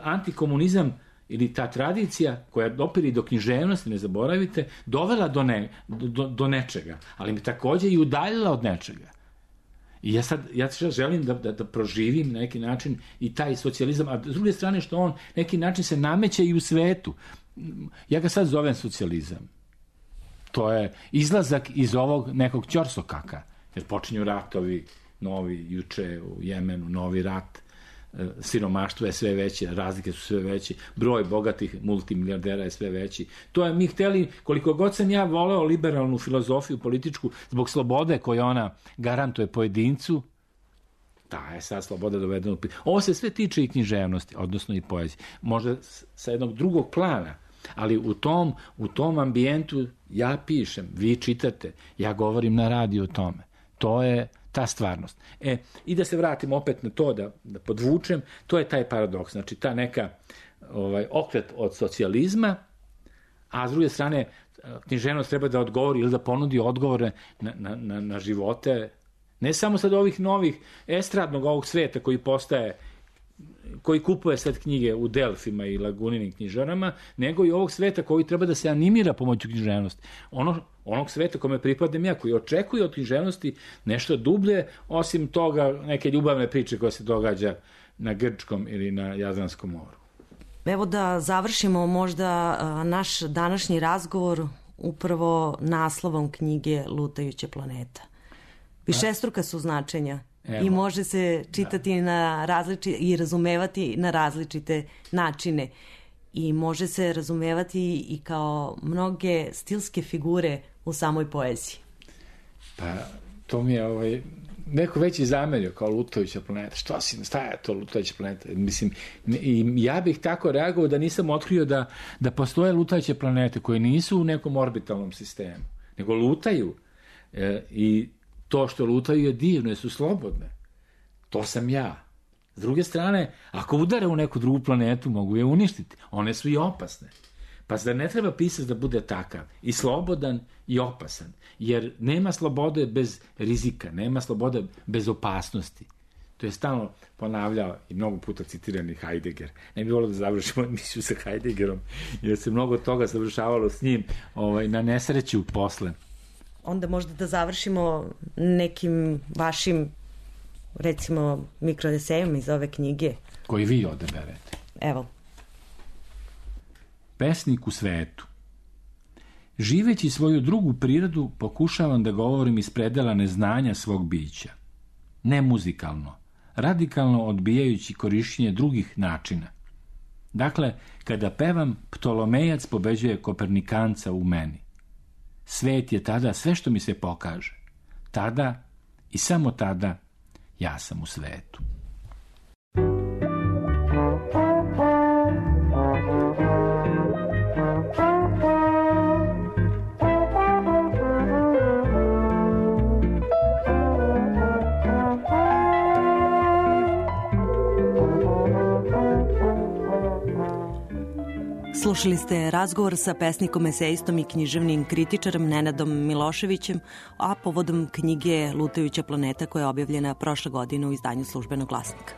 antikomunizam ili ta tradicija koja dopiri do književnosti, ne zaboravite, dovela do nečega, ali me takođe i udaljila od nečega. I ja sad želim da proživim na neki način i taj socijalizam, a s druge strane što on neki način se nameće i u svetu. Ja ga sad zovem socijalizam. To je izlazak iz ovog nekog ćorsokaka, jer počinju ratovi novi, juče u Jemenu, novi rat, siromaštvo je sve veće, razlike su sve veće, broj bogatih multimilijardera je sve veći. To je mi hteli, koliko god sam ja voleo liberalnu filozofiju političku zbog slobode koju ona garantuje pojedincu, ta je sad sloboda dovedena u pitanje. Ovo se sve tiče i književnosti, odnosno i poezije. Možda sa jednog drugog plana, ali u tom ambijentu ja pišem, vi čitate, ja govorim na radiju o tome. To je ta stvarnost. I da se vratim opet na to, da podvučem, to je taj paradoks. Znači, ta neka okret od socijalizma, a s druge strane, književnost treba da odgovori ili da ponudi odgovore na živote, ne samo sad ovih novih estradnog ovog sveta koji kupuje sad knjige u Delfima i Laguninim knjižarama, nego i ovog sveta koji treba da se animira pomoću književnosti. Onog sveta kome pripadam ja, koji očekuje od književnosti nešto dublje, osim toga neke ljubavne priče koja se događa na Grčkom ili na Jadranskom moru. Evo da završimo možda naš današnji razgovor upravo naslovom knjige Lutajuća planeta. Višestruka su značenja. I može se čitati i razumevati na različite načine. I može se razumevati i kao mnoge stilske figure u samoj poeziji. Pa, to mi je neko veći zamerio kao Lutajuća planeta. Šta je to Lutajuća planeta? Mislim, ja bih tako reagovao da nisam otkrio da postoje lutajuće planete koje nisu u nekom orbitalnom sistemu, nego lutaju i to što lutaju je divno, jer su slobodne. To sam ja. S druge strane, ako udare u neku drugu planetu, mogu je uništiti. One su i opasne. Pa zar ne treba pisac da bude takav? I slobodan i opasan. Jer nema slobode bez rizika, nema slobode bez opasnosti. To je stalno ponavljao i mnogo puta citirani Heidegger. Ne bi volio da završimo emisiju sa Heideggerom, jer se mnogo toga završavalo s njim na nesreću posle. Onda možda da završimo nekim vašim, recimo, mikroesejom iz ove knjige. Koji vi odaberete. Evo. Pesnik u svetu. Živeći svoju drugu prirodu, pokušavam da govorim iz predela neznanja svog bića. Ne muzikalno, radikalno odbijajući korišćenje drugih načina. Dakle, kada pevam, Ptolomejac pobeđuje Kopernikanca u meni. Svet je tada sve što mi se pokaže. Tada i samo tada ja sam u svetu. Slušali ste razgovor sa pesnikom, esejistom i književnim kritičarem Nenadom Miloševićem, a povodom knjige Lutajuća planeta koja je objavljena prošle godine u izdanju Službenog glasnika.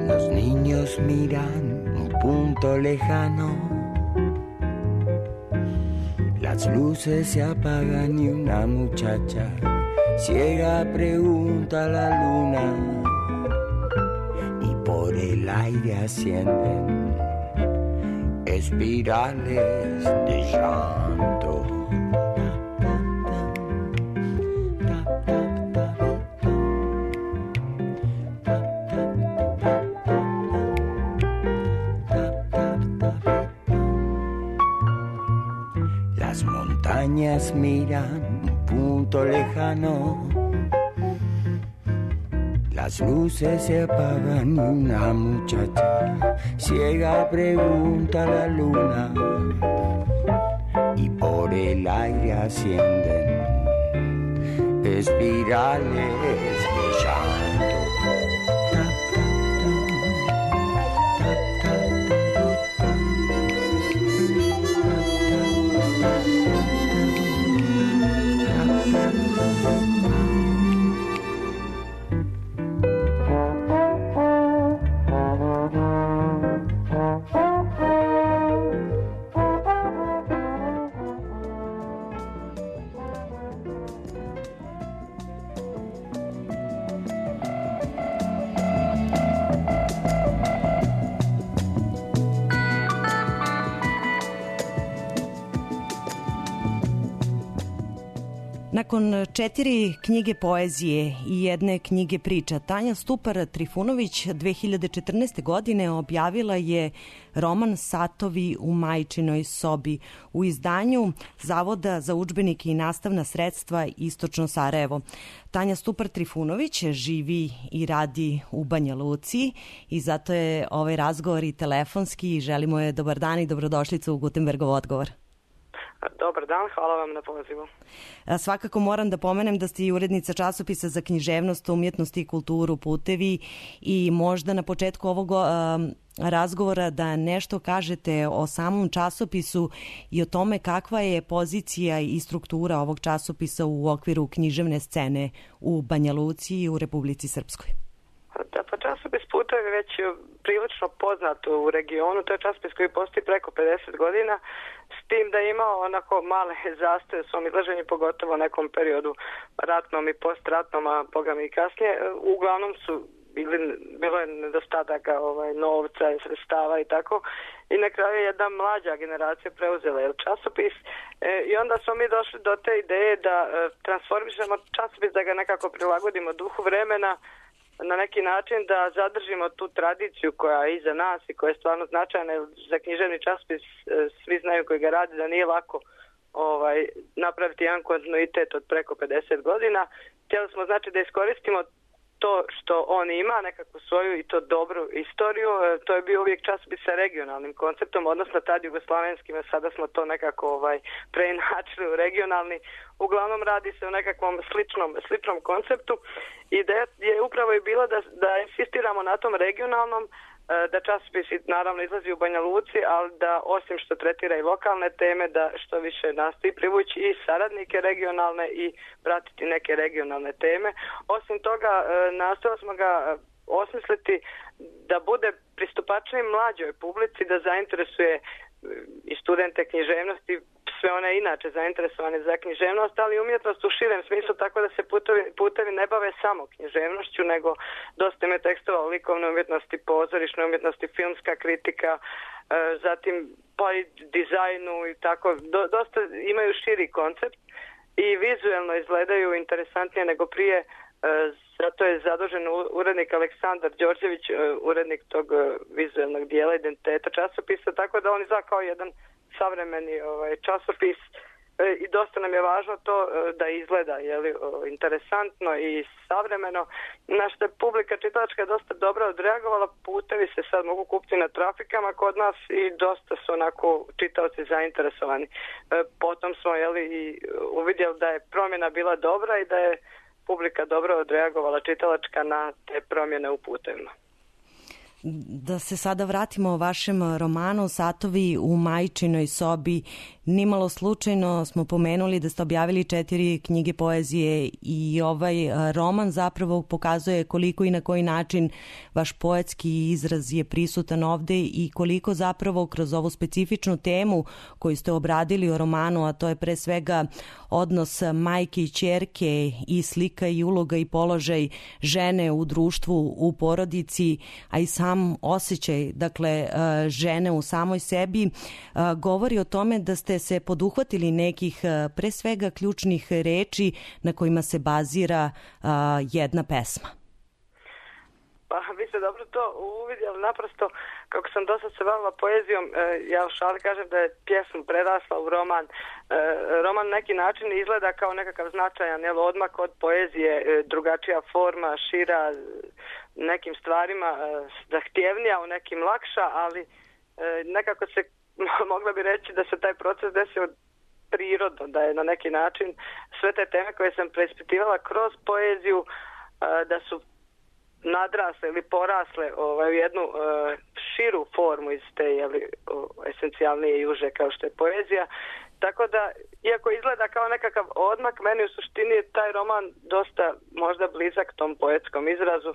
Los niños miran un punto lejano, las luces se apagan y una muchacha ciega pregunta a la luna y por el aire ascienden espirales de llanto. Las montañas miran punto lejano, las luces se apagan y una muchacha ciega pregunta a la luna y por el aire ascienden espirales de llanto. Nakon 4 knjige poezije i jedne knjige priča, Tanja Stupar Trifunović 2014. godine objavila je roman Satovi u majčinoj sobi u izdanju Zavoda za udžbenike i nastavna sredstva Istočno Sarajevo. Tanja Stupar Trifunović živi i radi u Banja Luci i zato je ovaj razgovor i telefonski i želimo je dobar dan i dobrodošlicu u Gutenbergov odgovor. Dobar dan, hvala vam na pozivu. Svakako moram da pomenem da ste i urednica časopisa za književnost, umjetnost i kulturu Putevi i možda na početku ovog razgovora da nešto kažete o samom časopisu i o tome kakva je pozicija i struktura ovog časopisa u okviru književne scene u Banja Luci i u Republici Srpskoj. Da, pa časopis Putevi već je prilično poznat u regionu, to je časopis koji postoji preko 50 godina, s tim da je imao onako male zastoje u svom izlaženju, pogotovo u nekom periodu ratnom i postratnom, a boga mi i kasnije. Uglavnom su bilo je nedostataka novca i sredstava i tako. I na kraju je jedna mlađa generacija preuzela časopis i onda smo mi došli do te ideje da transformišemo časopis, da ga nekako prilagodimo duhu vremena, na neki način da zadržimo tu tradiciju koja je iza nas i koja je stvarno značajna. Za književni časopis svi znaju koji ga radi da nije lako napraviti jedan kontinuitet od preko 50 godina. Htjeli smo znači da iskoristimo to što on ima, nekakvu svoju i to dobru istoriju. To je bio uvijek časopis sa regionalnim konceptom, odnosno tad jugoslavenskim, a sada smo to nekako preinačili u regionalni. Uglavnom radi se o nekakvom sličnom konceptu. Ideja je upravo i bila da insistiramo na tom regionalnom, da časopis naravno izlazi u Banja Luci, ali da osim što tretira i lokalne teme, da što više nastoji privući i saradnike regionalne i pratiti neke regionalne teme. Osim toga, nastojali smo ga osmisliti da bude pristupačniji mlađoj publici, da zainteresuje i studente književnosti, sve one inače zainteresovane za književnost, ali umjetnost u širem smislu, tako da se putevi ne bave samo književnošću, nego dosta ima tekstova o likovnoj umjetnosti, pozorišnoj umjetnosti, filmska kritika, zatim pa i dizajnu i tako, dosta imaju širi koncept. i vizuelno izgledaju interesantnije nego prije. Zato je zadužen urednik Aleksandar Đorđević, urednik tog vizuelnog dijela identiteta časopisa, tako da on izgleda kao jedan savremeni časopis i dosta nam je važno to da izgleda interesantno i savremeno. Naša publika čitalačka je dosta dobro odreagovala, putevi se sad mogu kupiti na trafikama kod nas i dosta su onako čitaoci zainteresovani. Potom smo i uvidjeli da je promjena bila dobra i da je publika dobro odreagovala čitalačka na te promjene u putevima. Da se sada vratimo o vašem romanu Satovi u majčinoj sobi. Nimalo slučajno smo pomenuli da ste objavili 4 knjige poezije i ovaj roman zapravo pokazuje koliko i na koji način vaš poetski izraz je prisutan ovde i koliko zapravo kroz ovu specifičnu temu koju ste obradili o romanu, a to je pre svega odnos majke i ćerke i slika i uloga i položaj žene u društvu, u porodici, a i sam osjećaj, dakle, žene u samoj sebi, govori o tome da ste se poduhvatili nekih pre svega ključnih reči na kojima se bazira jedna pesma. Pa vi ste dobro to uvidjeli, naprosto kako sam dosta se bavila poezijom, ja u šali kažem da je pjesma prerasla u roman. Roman na neki način izgleda kao nekakav značajan odmak od poezije, drugačija forma, šira, nekim stvarima zahtjevnija, u nekim lakša, ali nekako se mogla bi reći da se taj proces desio prirodno, da je na neki način sve te teme koje sam preispitivala kroz poeziju da su nadrasle ili porasle u jednu širu formu iz te esencijalnije i uže kao što je poezija. Tako da, iako izgleda kao nekakav odmak, meni u suštini je taj roman dosta možda blizak tom poetskom izrazu,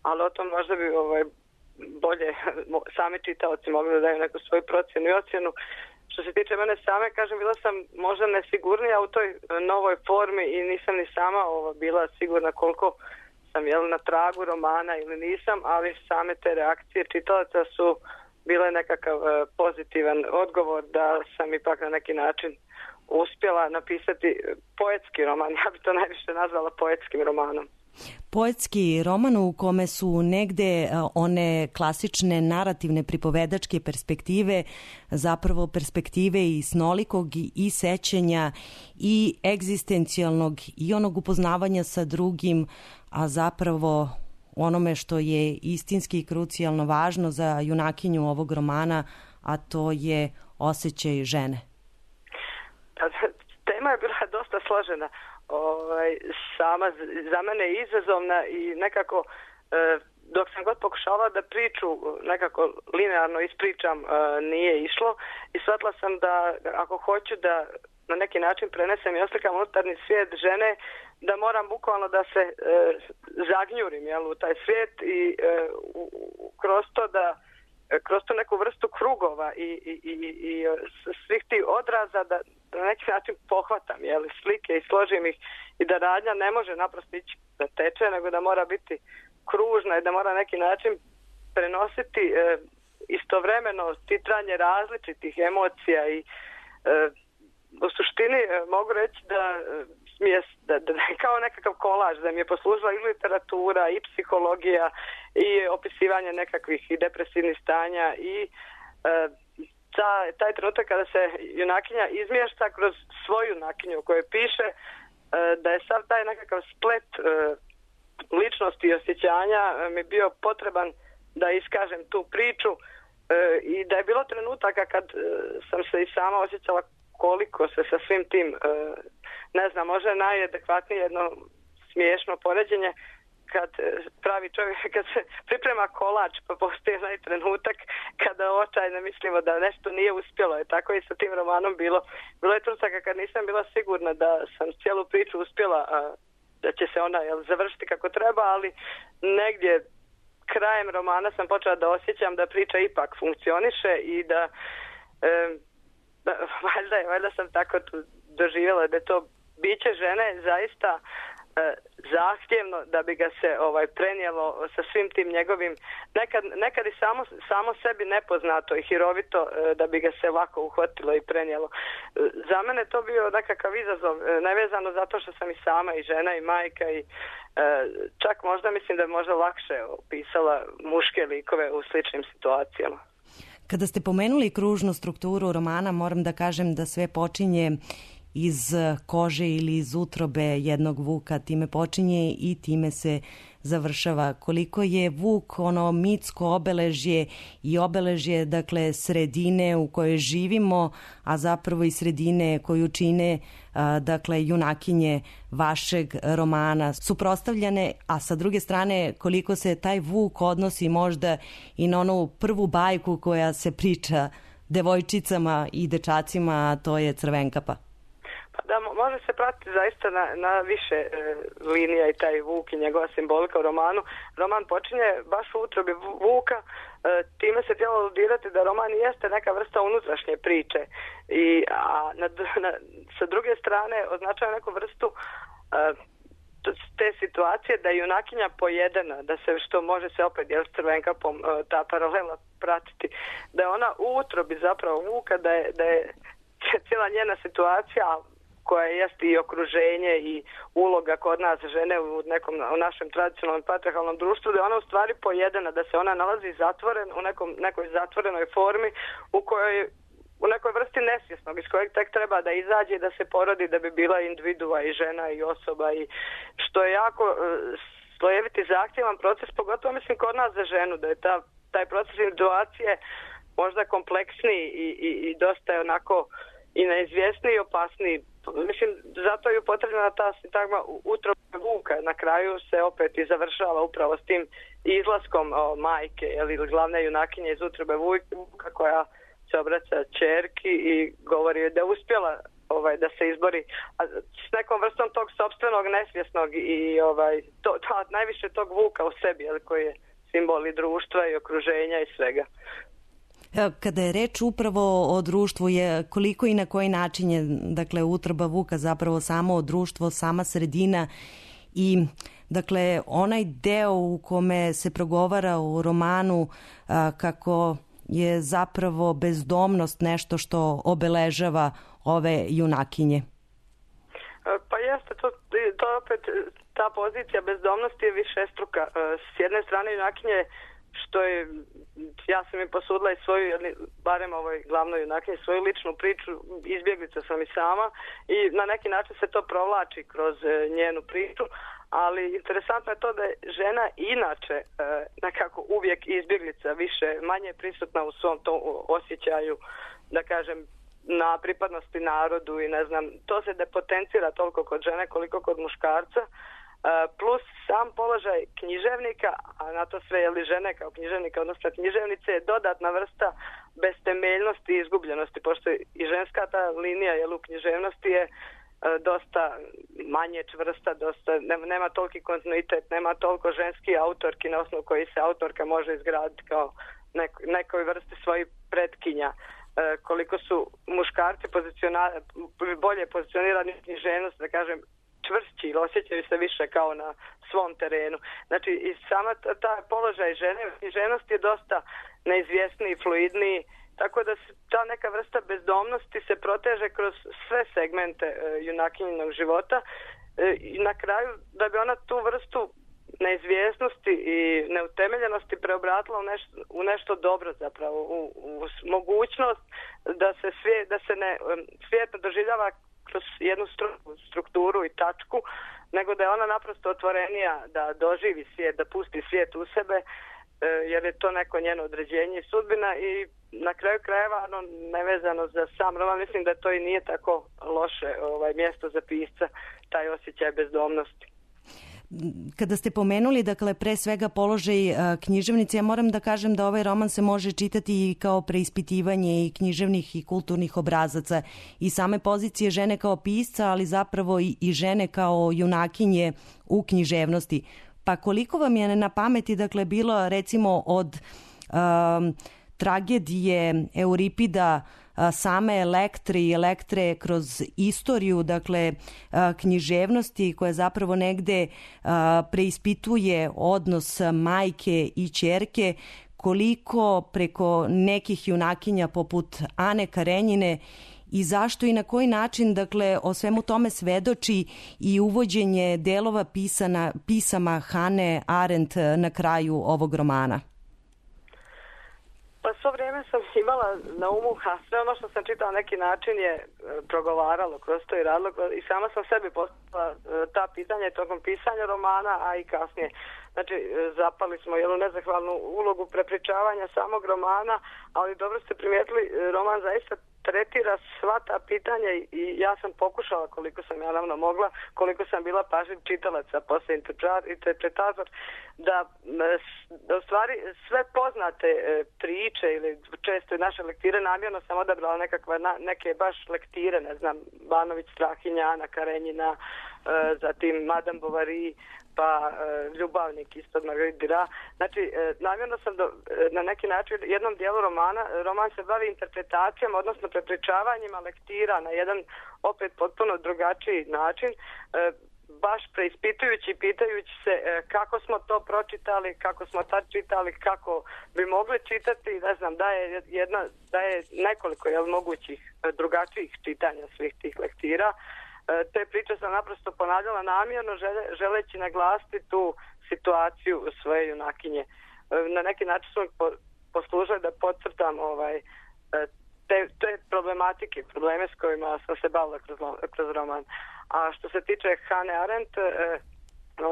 ali o tom možda bi bolje sami čitaoci mogli da daju neku svoju procjenu i ocjenu. Što se tiče mene same, kažem, bila sam možda nesigurnija u toj novoj formi i nisam ni sama bila sigurna koliko sam na tragu romana ili nisam, ali same te reakcije čitalaca su bile nekakav pozitivan odgovor da sam ipak na neki način uspjela napisati poetski roman. Ja bi to najviše nazvala poetskim romanom. Poetski roman u kome su negde one klasične narativne pripovedačke perspektive, zapravo perspektive i snolikog i sećanja i egzistencijalnog i onog upoznavanja sa drugim, a zapravo onome što je istinski i krucijalno važno za junakinju ovog romana, a to je osjećaj žene. Tema je bila dosta složena. Sama za mene je izazovna i nekako dok sam god pokušala da priču nekako linearno ispričam nije išlo i shvatila sam da ako hoću da na neki način prenesem i oslikam unutarnji svijet žene, da moram bukvalno da se zagnjurim u taj svijet i kroz to neku vrstu krugova i svih tih odraza da na neki način pohvatam slike i složim ih i da radnja ne može naprosto ići da teče, nego da mora biti kružna i da mora na neki način prenositi istovremeno titranje različitih emocija i u suštini mogu reći da je kao nekakav kolaž, da mi je poslužila i literatura i psihologija i opisivanje nekakvih i depresivnih stanja i taj trenutak kada se junakinja izmješta kroz svoju junakinju koju piše, da je sav taj nekakav splet ličnosti i osjećanja mi bio potreban da iskažem tu priču i da je bilo trenutaka kad sam se i sama osjećala koliko se sa svim tim, ne znam, može najadekvatnije jedno smiješno poređenje kad pravi čovjek, kad se priprema kolač pa postoji onaj trenutak kada očajno mislimo da nešto nije uspjelo. Je tako i sa tim romanom bilo. Bilo je trenutaka kad nisam bila sigurna da sam cijelu priču uspjela, da će se ona završiti kako treba, ali negdje krajem romana sam počela da osjećam da priča ipak funkcioniše i da valjda sam tako doživjela da je to biće žene zaista zahtjevno da bi ga se prenijelo sa svim tim njegovim nekad i samo sebi nepoznato i hirovito da bi ga se lako uhvatilo i prenijelo. Za mene to bio nekakav izazov, nevezano zato što sam i sama i žena i majka i čak možda mislim da je možda lakše opisala muške likove u sličnim situacijama. Kada ste pomenuli kružnu strukturu romana, moram da kažem da sve počinje iz kože ili iz utrobe jednog vuka, time počinje i time se završava. Koliko je vuk ono mitsko obeležje i obeležje, dakle, sredine u kojoj živimo, a zapravo i sredine koju čine, dakle, junakinje vašeg romana suprotstavljane, a sa druge strane koliko se taj vuk odnosi možda i na onu prvu bajku koja se priča devojčicama i dečacima, a to je Crvenkapa. Da, može se pratiti zaista na više linija i taj vuk i njegova simbolika u romanu. Roman počinje baš u utrobi vuka, time se htjelo aludirati da roman jeste neka vrsta unutrašnje priče. A sa druge strane označava neku vrstu te situacije da je junakinja pojedena, da se što može se opet s Crvenkapom ta paralela pratiti, da je ona u utrobi zapravo vuka, da je cijela njena situacija koja jeste i okruženje i uloga kod nas žene u našem tradicionalnom patriarhalnom društvu, da je ona u stvari pojedena, da se ona nalazi zatvoren u nekoj zatvorenoj formi u nekoj vrsti nesvjesnog, iz kojeg tek treba da izađe i da se porodi da bi bila individua i žena i osoba, i što je jako slojeviti zahtjevan proces, pogotovo mislim kod nas za ženu, da je taj proces individuacije možda kompleksniji i dosta je onako i neizvjesniji i opasniji. Mislim, zato je upotrebljena ta sintagma utrobe vuka. Na kraju se opet i završava upravo s tim izlaskom majke ili glavne junakinje iz utrobe vuka koja se obraća ćerki i govori da je uspjela da se izbori s nekom vrstom tog sopstvenog nesvjesnog i najviše tog vuka u sebi, koji je simbol i društva i okruženja i svega. Kada je reč upravo o društvu, je koliko i na koji način je, dakle, utroba vuka zapravo samo društvo, sama sredina i, dakle, onaj deo u kome se progovara u romanu kako je zapravo bezdomnost nešto što obeležava ove junakinje. Pa jeste, to opet ta pozicija bezdomnosti je višestruka. S jedne strane junakinje, što je, ja sam i posudila i svoju, barem ovoj glavnoj junakinji, svoju ličnu priču, izbjeglica sam i sama i na neki način se to provlači kroz njenu priču, ali interesantno je to da je žena inače nekako uvijek izbjeglica, manje prisutna u svom tom osjećaju, da kažem, na pripadnosti narodu i ne znam, to se depotencira toliko kod žene koliko kod muškarca. Plus sam položaj književnika, a na to sve žene kao književnika, odnosno književnice, je dodatna vrsta bestemeljnosti i izgubljenosti, pošto i ženska ta linija u književnosti je dosta manje čvrsta, nema toliki kontinuitet, nema toliko ženski autorki na osnovu koji se autorka može izgraditi kao nekoj vrsti svojih pretkinja. Koliko su muškarci bolje pozicionirani u književnost, da kažem, čvršći ili osjećaju se više kao na svom terenu. Znači, i sama ta položaj žene u književnosti je dosta neizvjesniji, fluidniji, tako da ta neka vrsta bezdomnosti se proteže kroz sve segmente junakinjinog života i na kraju da bi ona tu vrstu neizvjesnosti i neutemeljenosti preobratila u nešto dobro, zapravo u mogućnost da se svijet ne doživljava kroz jednu strukturu i tačku, nego da je ona naprosto otvorenija da doživi svijet, da pusti svijet u sebe, jer je to neko njeno određenje i sudbina i na kraju krajeva, nevezano za sam roman, mislim da to i nije tako loše mjesto za pisca, taj osjećaj bezdomnosti. Kada ste pomenuli, dakle, pre svega položaj književnice, ja moram da kažem da ovaj roman se može čitati i kao preispitivanje i književnih i kulturnih obrazaca i same pozicije žene kao pisca, ali zapravo i žene kao junakinje u književnosti. Pa koliko vam je na pameti, dakle, bilo recimo od tragedije Euripida same Elektre i Elektre kroz istoriju, dakle, književnosti koja zapravo negde preispituje odnos majke i ćerke, koliko preko nekih junakinja poput Ane Karenjine i zašto i na koji način, dakle, o svemu tome svedoči i uvođenje delova pisama Hane Arendt na kraju ovog romana? Pa svo vrijeme sam imala na umu, a sve ono što sam čitala neki način je progovaralo kroz to i radilo i sama sam sebi postavila ta pitanja tokom pisanja romana, a i kasnije. Znači, zapali smo jednu nezahvalnu ulogu prepričavanja samog romana, ali dobro ste primijetili, roman zaista tretira sva ta pitanja i ja sam pokušala koliko sam ja naravno mogla, koliko sam bila pažljiv čitalac, a poslije interpretator, da u stvari sve poznate priče ili često i naše lektire, namjerno sam odabrala neke baš lektire, ne znam, Banović, Strahinja, Ana Karenjina, zatim Madame Bovary, pa Ljubavnik isto od Marguerite Duras. Znači, namjerno sam na neki način jednom dijelu roman se bavi interpretacijom, odnosno prepričavanjima lektira na jedan opet potpuno drugačiji način, baš preispitujući i pitajući se kako smo to pročitali, kako smo tad čitali, kako bi mogli čitati, ne znam, da je nekoliko mogućih drugačijih čitanja svih tih lektira. Te priče sam naprosto ponavljala namjerno želeći naglasiti tu situaciju svoje junakinje. Na neki način su poslužili da podcrtam te problematike, probleme s kojima sam se bavila kroz roman. A što se tiče Hane Arendt,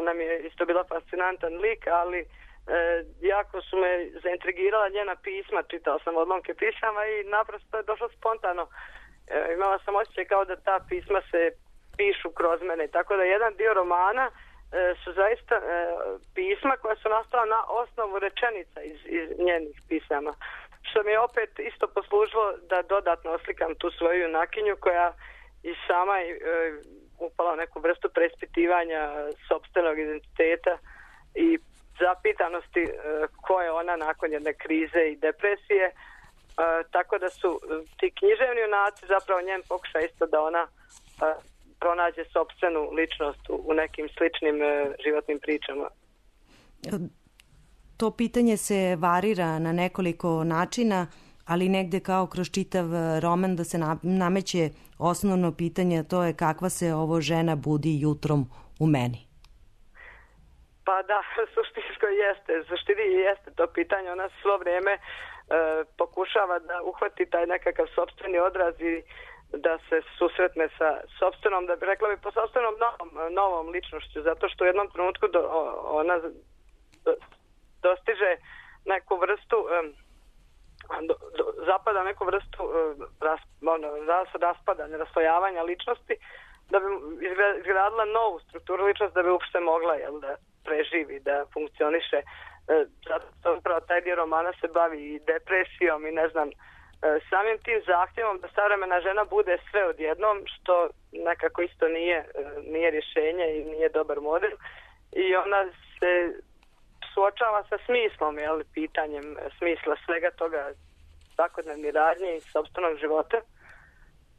ona mi je isto bila fascinantan lik, ali jako su me zaintrigirala njena pisma, čitala sam odlomke pisama i naprosto je došlo spontano. Imala sam osjećaj kao da ta pisma se pišu kroz mene. Tako da jedan dio romana su zaista pisma koja su nastala na osnovu rečenica iz njenih pisama. Što mi je opet isto poslužilo da dodatno oslikam tu svoju junakinju koja i sama upala u neku vrstu preispitivanja sopstvenog identiteta i zapitanosti ko je ona nakon jedne krize i depresije. Tako da su ti književni junaci zapravo njen pokušaj isto da ona pronađe sopstvenu ličnost u nekim sličnim životnim pričama. To pitanje se varira na nekoliko načina, ali negde kao kroz čitav roman da se nameće osnovno pitanje, to je kakva se ovo žena budi jutrom u meni. Pa da, suštinsko jeste to pitanje. Ona svo vrijeme pokušava da uhvati taj nekakav sopstveni odraz i da se susretne sa sopstvenom, da bi rekla bi po sopstvenom novom ličnošću, zato što u jednom trenutku ona dostiže neku vrstu zapada neku vrstu raspadanja, raslojavanja ličnosti, da bi izgradila novu strukturu ličnosti da bi uopšte mogla da preživi, da funkcioniše. Zato upravo taj dio romana se bavi i depresijom i ne znam, samim tim zahtjevom da savremena žena bude sve odjednom, što nekako isto nije rješenje i nije dobar model. I ona se suočava sa smislom, pitanjem smisla svega toga svakodnevni radnje i sopstvenog života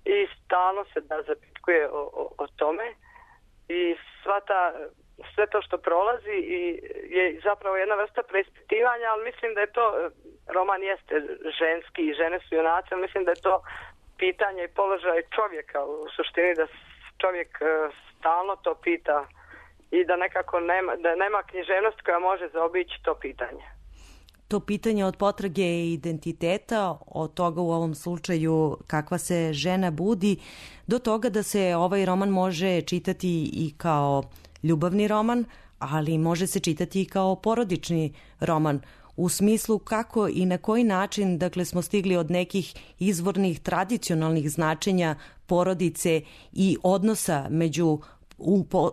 i stalno se zapitkuje o tome i sve to što prolazi je zapravo jedna vrsta preispitivanja, ali mislim da je to, roman jeste ženski i žene su junaci, ali mislim da je to pitanje i položaj čovjeka u suštini, da čovjek stalno to pita i da nekako nema književnost koja može zaobići to pitanje. To pitanje od potrage identiteta, od toga u ovom slučaju kakva se žena budi, do toga da se ovaj roman može čitati i kao ljubavni roman, ali može se čitati i kao porodični roman, u smislu kako i na koji način, dakle, smo stigli od nekih izvornih tradicionalnih značenja porodice i odnosa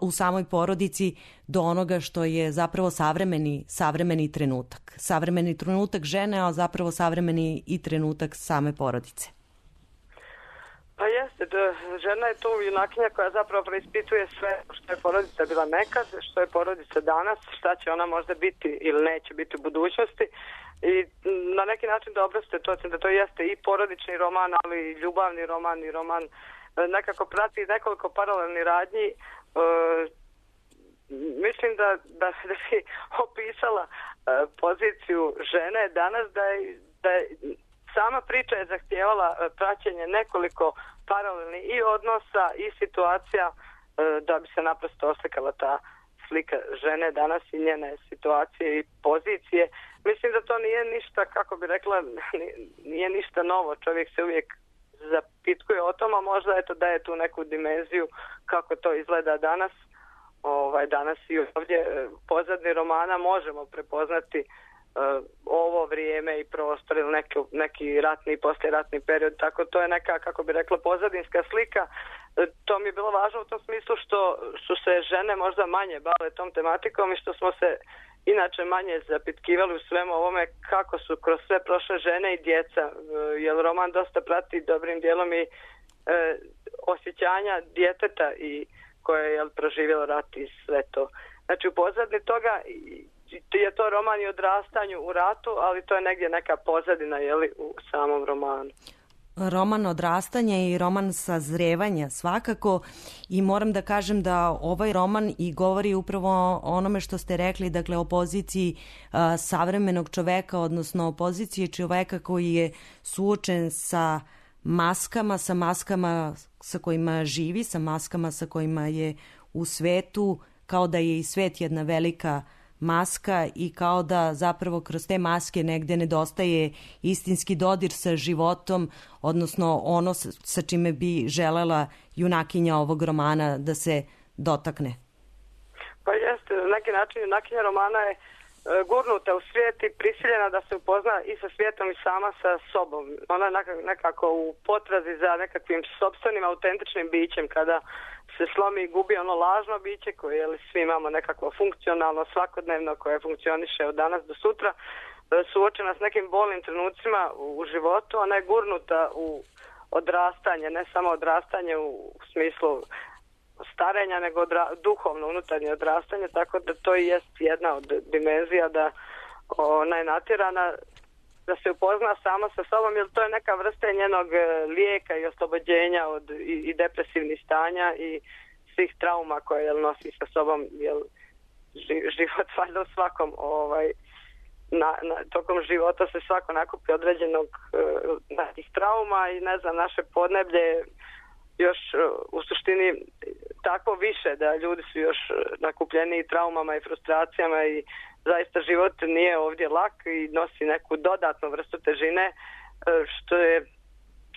u samoj porodici do onoga što je zapravo savremeni trenutak. Savremeni trenutak žene, a zapravo savremeni i trenutak same porodice. Pa jeste, žena je tu junakinja koja zapravo preispituje sve što je porodica bila nekad, što je porodica danas, šta će ona možda biti ili neće biti u budućnosti. I na neki način dobro ste to, da to jeste i porodični roman, ali i ljubavni roman i roman nekako prati nekoliko paralelnih radnji. Mislim da si opisala poziciju žene danas, da je sama priča je zahtijevala praćenje nekoliko paralelnih i odnosa i situacija da bi se naprosto oslikala ta slika žene danas i njene situacije i pozicije. Mislim da to nije ništa, kako bi rekla, nije ništa novo. Čovjek se uvijek zapitkuje o tom, a možda eto daje tu neku dimenziju kako to izgleda danas. Danas i ovdje pozadni romana možemo prepoznati ovo vrijeme i prostor ili neki ratni i poslijeratni period, tako to je neka, kako bi rekla, pozadinska slika. To mi je bilo važno u tom smislu što su se žene možda manje bavile tom tematikom i što smo se inače manje zapitkivali u svemu ovome kako su kroz sve prošle žene i djeca, jer roman dosta prati dobrim dijelom i osjećanja djeteta i koje je proživjelo rat i sve to. Znači u pozadini toga je to roman i odrastanju u ratu, ali to je negdje neka pozadina u samom romanu. Roman odrastanja i roman sazrevanja svakako, i moram da kažem da ovaj roman i govori upravo o onome što ste rekli, dakle o poziciji savremenog čoveka, odnosno o poziciji čoveka koji je suočen sa maskama sa kojima živi, sa maskama sa kojima je u svetu, kao da je i svet jedna velika maska i kao da zapravo kroz te maske negde nedostaje istinski dodir sa životom, odnosno ono sa čime bi želela junakinja ovog romana da se dotakne. Pa jeste, na neki način junakinja romana je gurnuta u svijet i prisiljena da se upozna i sa svijetom i sama sa sobom. Ona je nekako u potrazi za nekakvim sopstvenim autentičnim bićem, kada se slomi i gubi ono lažno biće koje svi imamo nekako funkcionalno, svakodnevno, koje funkcioniše od danas do sutra, suočena s nekim bolnim trenucima u životu. Ona je gurnuta u odrastanje, ne samo odrastanje u smislu starenja, nego duhovno unutarnje odrastanje, tako da to i jest jedna od dimenzija da ona je natjerana da se upozna sama sa sobom, jer to je neka vrsta njenog lijeka i oslobođenja od i depresivnih stanja i svih trauma koje nosi sa sobom, jer život valjda u svakom tokom života se svako nakupi određenog nekih trauma i ne znam, naše podneblje još u suštini tako više da ljudi su još nakupljeni traumama i frustracijama i zaista život nije ovdje lak i nosi neku dodatnu vrstu težine, što je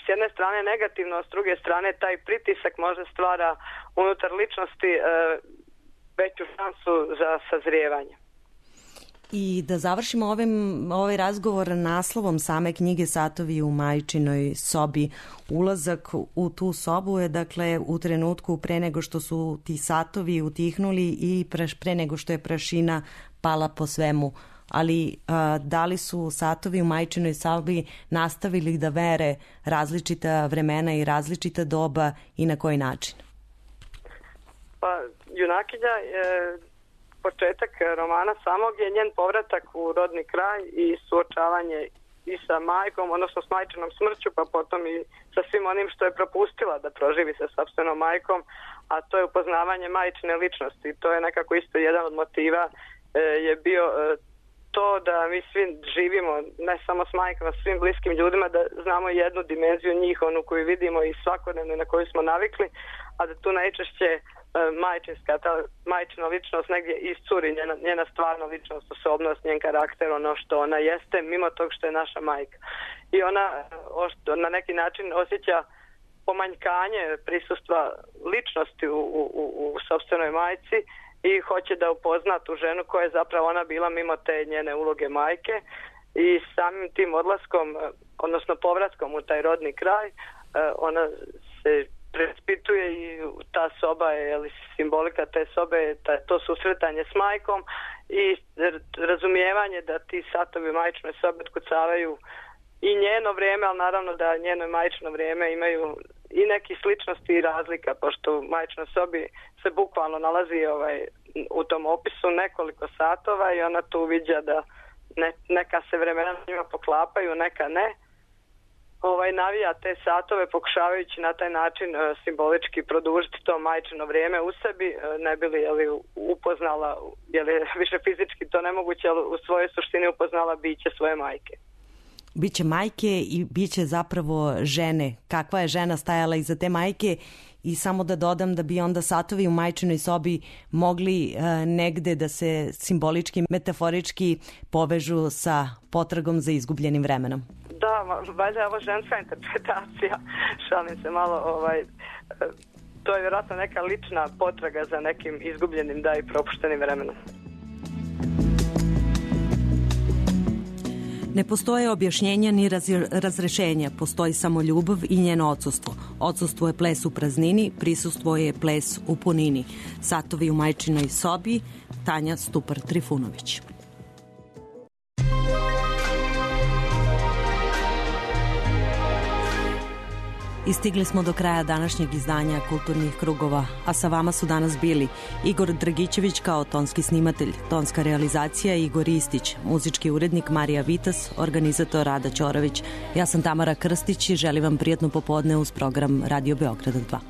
s jedne strane negativno, a s druge strane taj pritisak možda stvara unutar ličnosti veću šansu za sazrijevanje. I da završimo ovaj razgovor naslovom same knjige Satovi u majčinoj sobi. Ulazak u tu sobu je dakle u trenutku pre nego što su ti satovi utihnuli i pre nego što je prašina pala po svemu. Ali da li su satovi u majčinoj sobi nastavili da mere različita vremena i različita doba i na koji način? Pa junakinja je početak romana samog je njen povratak u rodni kraj i suočavanje i sa majkom, odnosno s majčinom smrću, pa potom i sa svim onim što je propustila da proživi sa sopstvenom majkom, a to je upoznavanje majčine ličnosti. To je nekako isto jedan od motiva je bio to da mi svi živimo, ne samo s majkama, s svim bliskim ljudima, da znamo jednu dimenziju njih, onu koju vidimo i svakodnevno na koju smo navikli, a da tu najčešće majčina ličnost negdje iscuri, njena stvarna ličnost, osobnost, njen karakter, ono što ona jeste, mimo tog što je naša majka. I ona na neki način osjeća pomanjkanje prisustva ličnosti u sopstvenoj majci i hoće da upozna tu ženu koja je zapravo ona bila mimo te njene uloge majke i samim tim odlaskom, odnosno povratkom u taj rodni kraj, ona se preispituje i ta soba je simbolika te sobe, to susretanje s majkom i razumijevanje da ti satovi majčine sobe otkucavaju i njeno vrijeme, ali naravno da njeno majčino vrijeme imaju i nekih sličnosti i razlika, pošto u majčinoj sobi se bukvalno nalazi u tom opisu nekoliko satova i ona tu uviđa da neka se vremena njima poklapaju, neka ne. Navija te satove pokušavajući na taj način simbolički produžiti to majčino vrijeme u sebi, ne bi li upoznala, više fizički to nemoguće, ali u svojoj suštini upoznala biće svoje majke. Biće majke i biće zapravo žene. Kakva je žena stajala iza te majke? I samo da dodam da bi onda satovi u majčinoj sobi mogli negde da se simbolički, metaforički povežu sa potragom za izgubljenim vremenom. Da, valjda je ovo ženska interpretacija, šalim se malo, to je vjerojatno neka lična potraga za nekim izgubljenim, da, i propuštenim vremenom. Ne postoje objašnjenja ni razrešenja, postoji samo ljubav i njeno odsustvo. Odsustvo je ples u praznini, prisustvo je ples u punini. Satovi u majčinoj sobi, Tanja Stupar-Trifunović. I stigli smo do kraja današnjeg izdanja Kulturnih krugova, a sa vama su danas bili Igor Dragićević kao tonski snimatelj, tonska realizacija Igor Istić, muzički urednik Marija Vitas, organizator Rada Ćorović. Ja sam Tamara Krstić i želim vam prijatno popodne uz program Radio Beograda 2.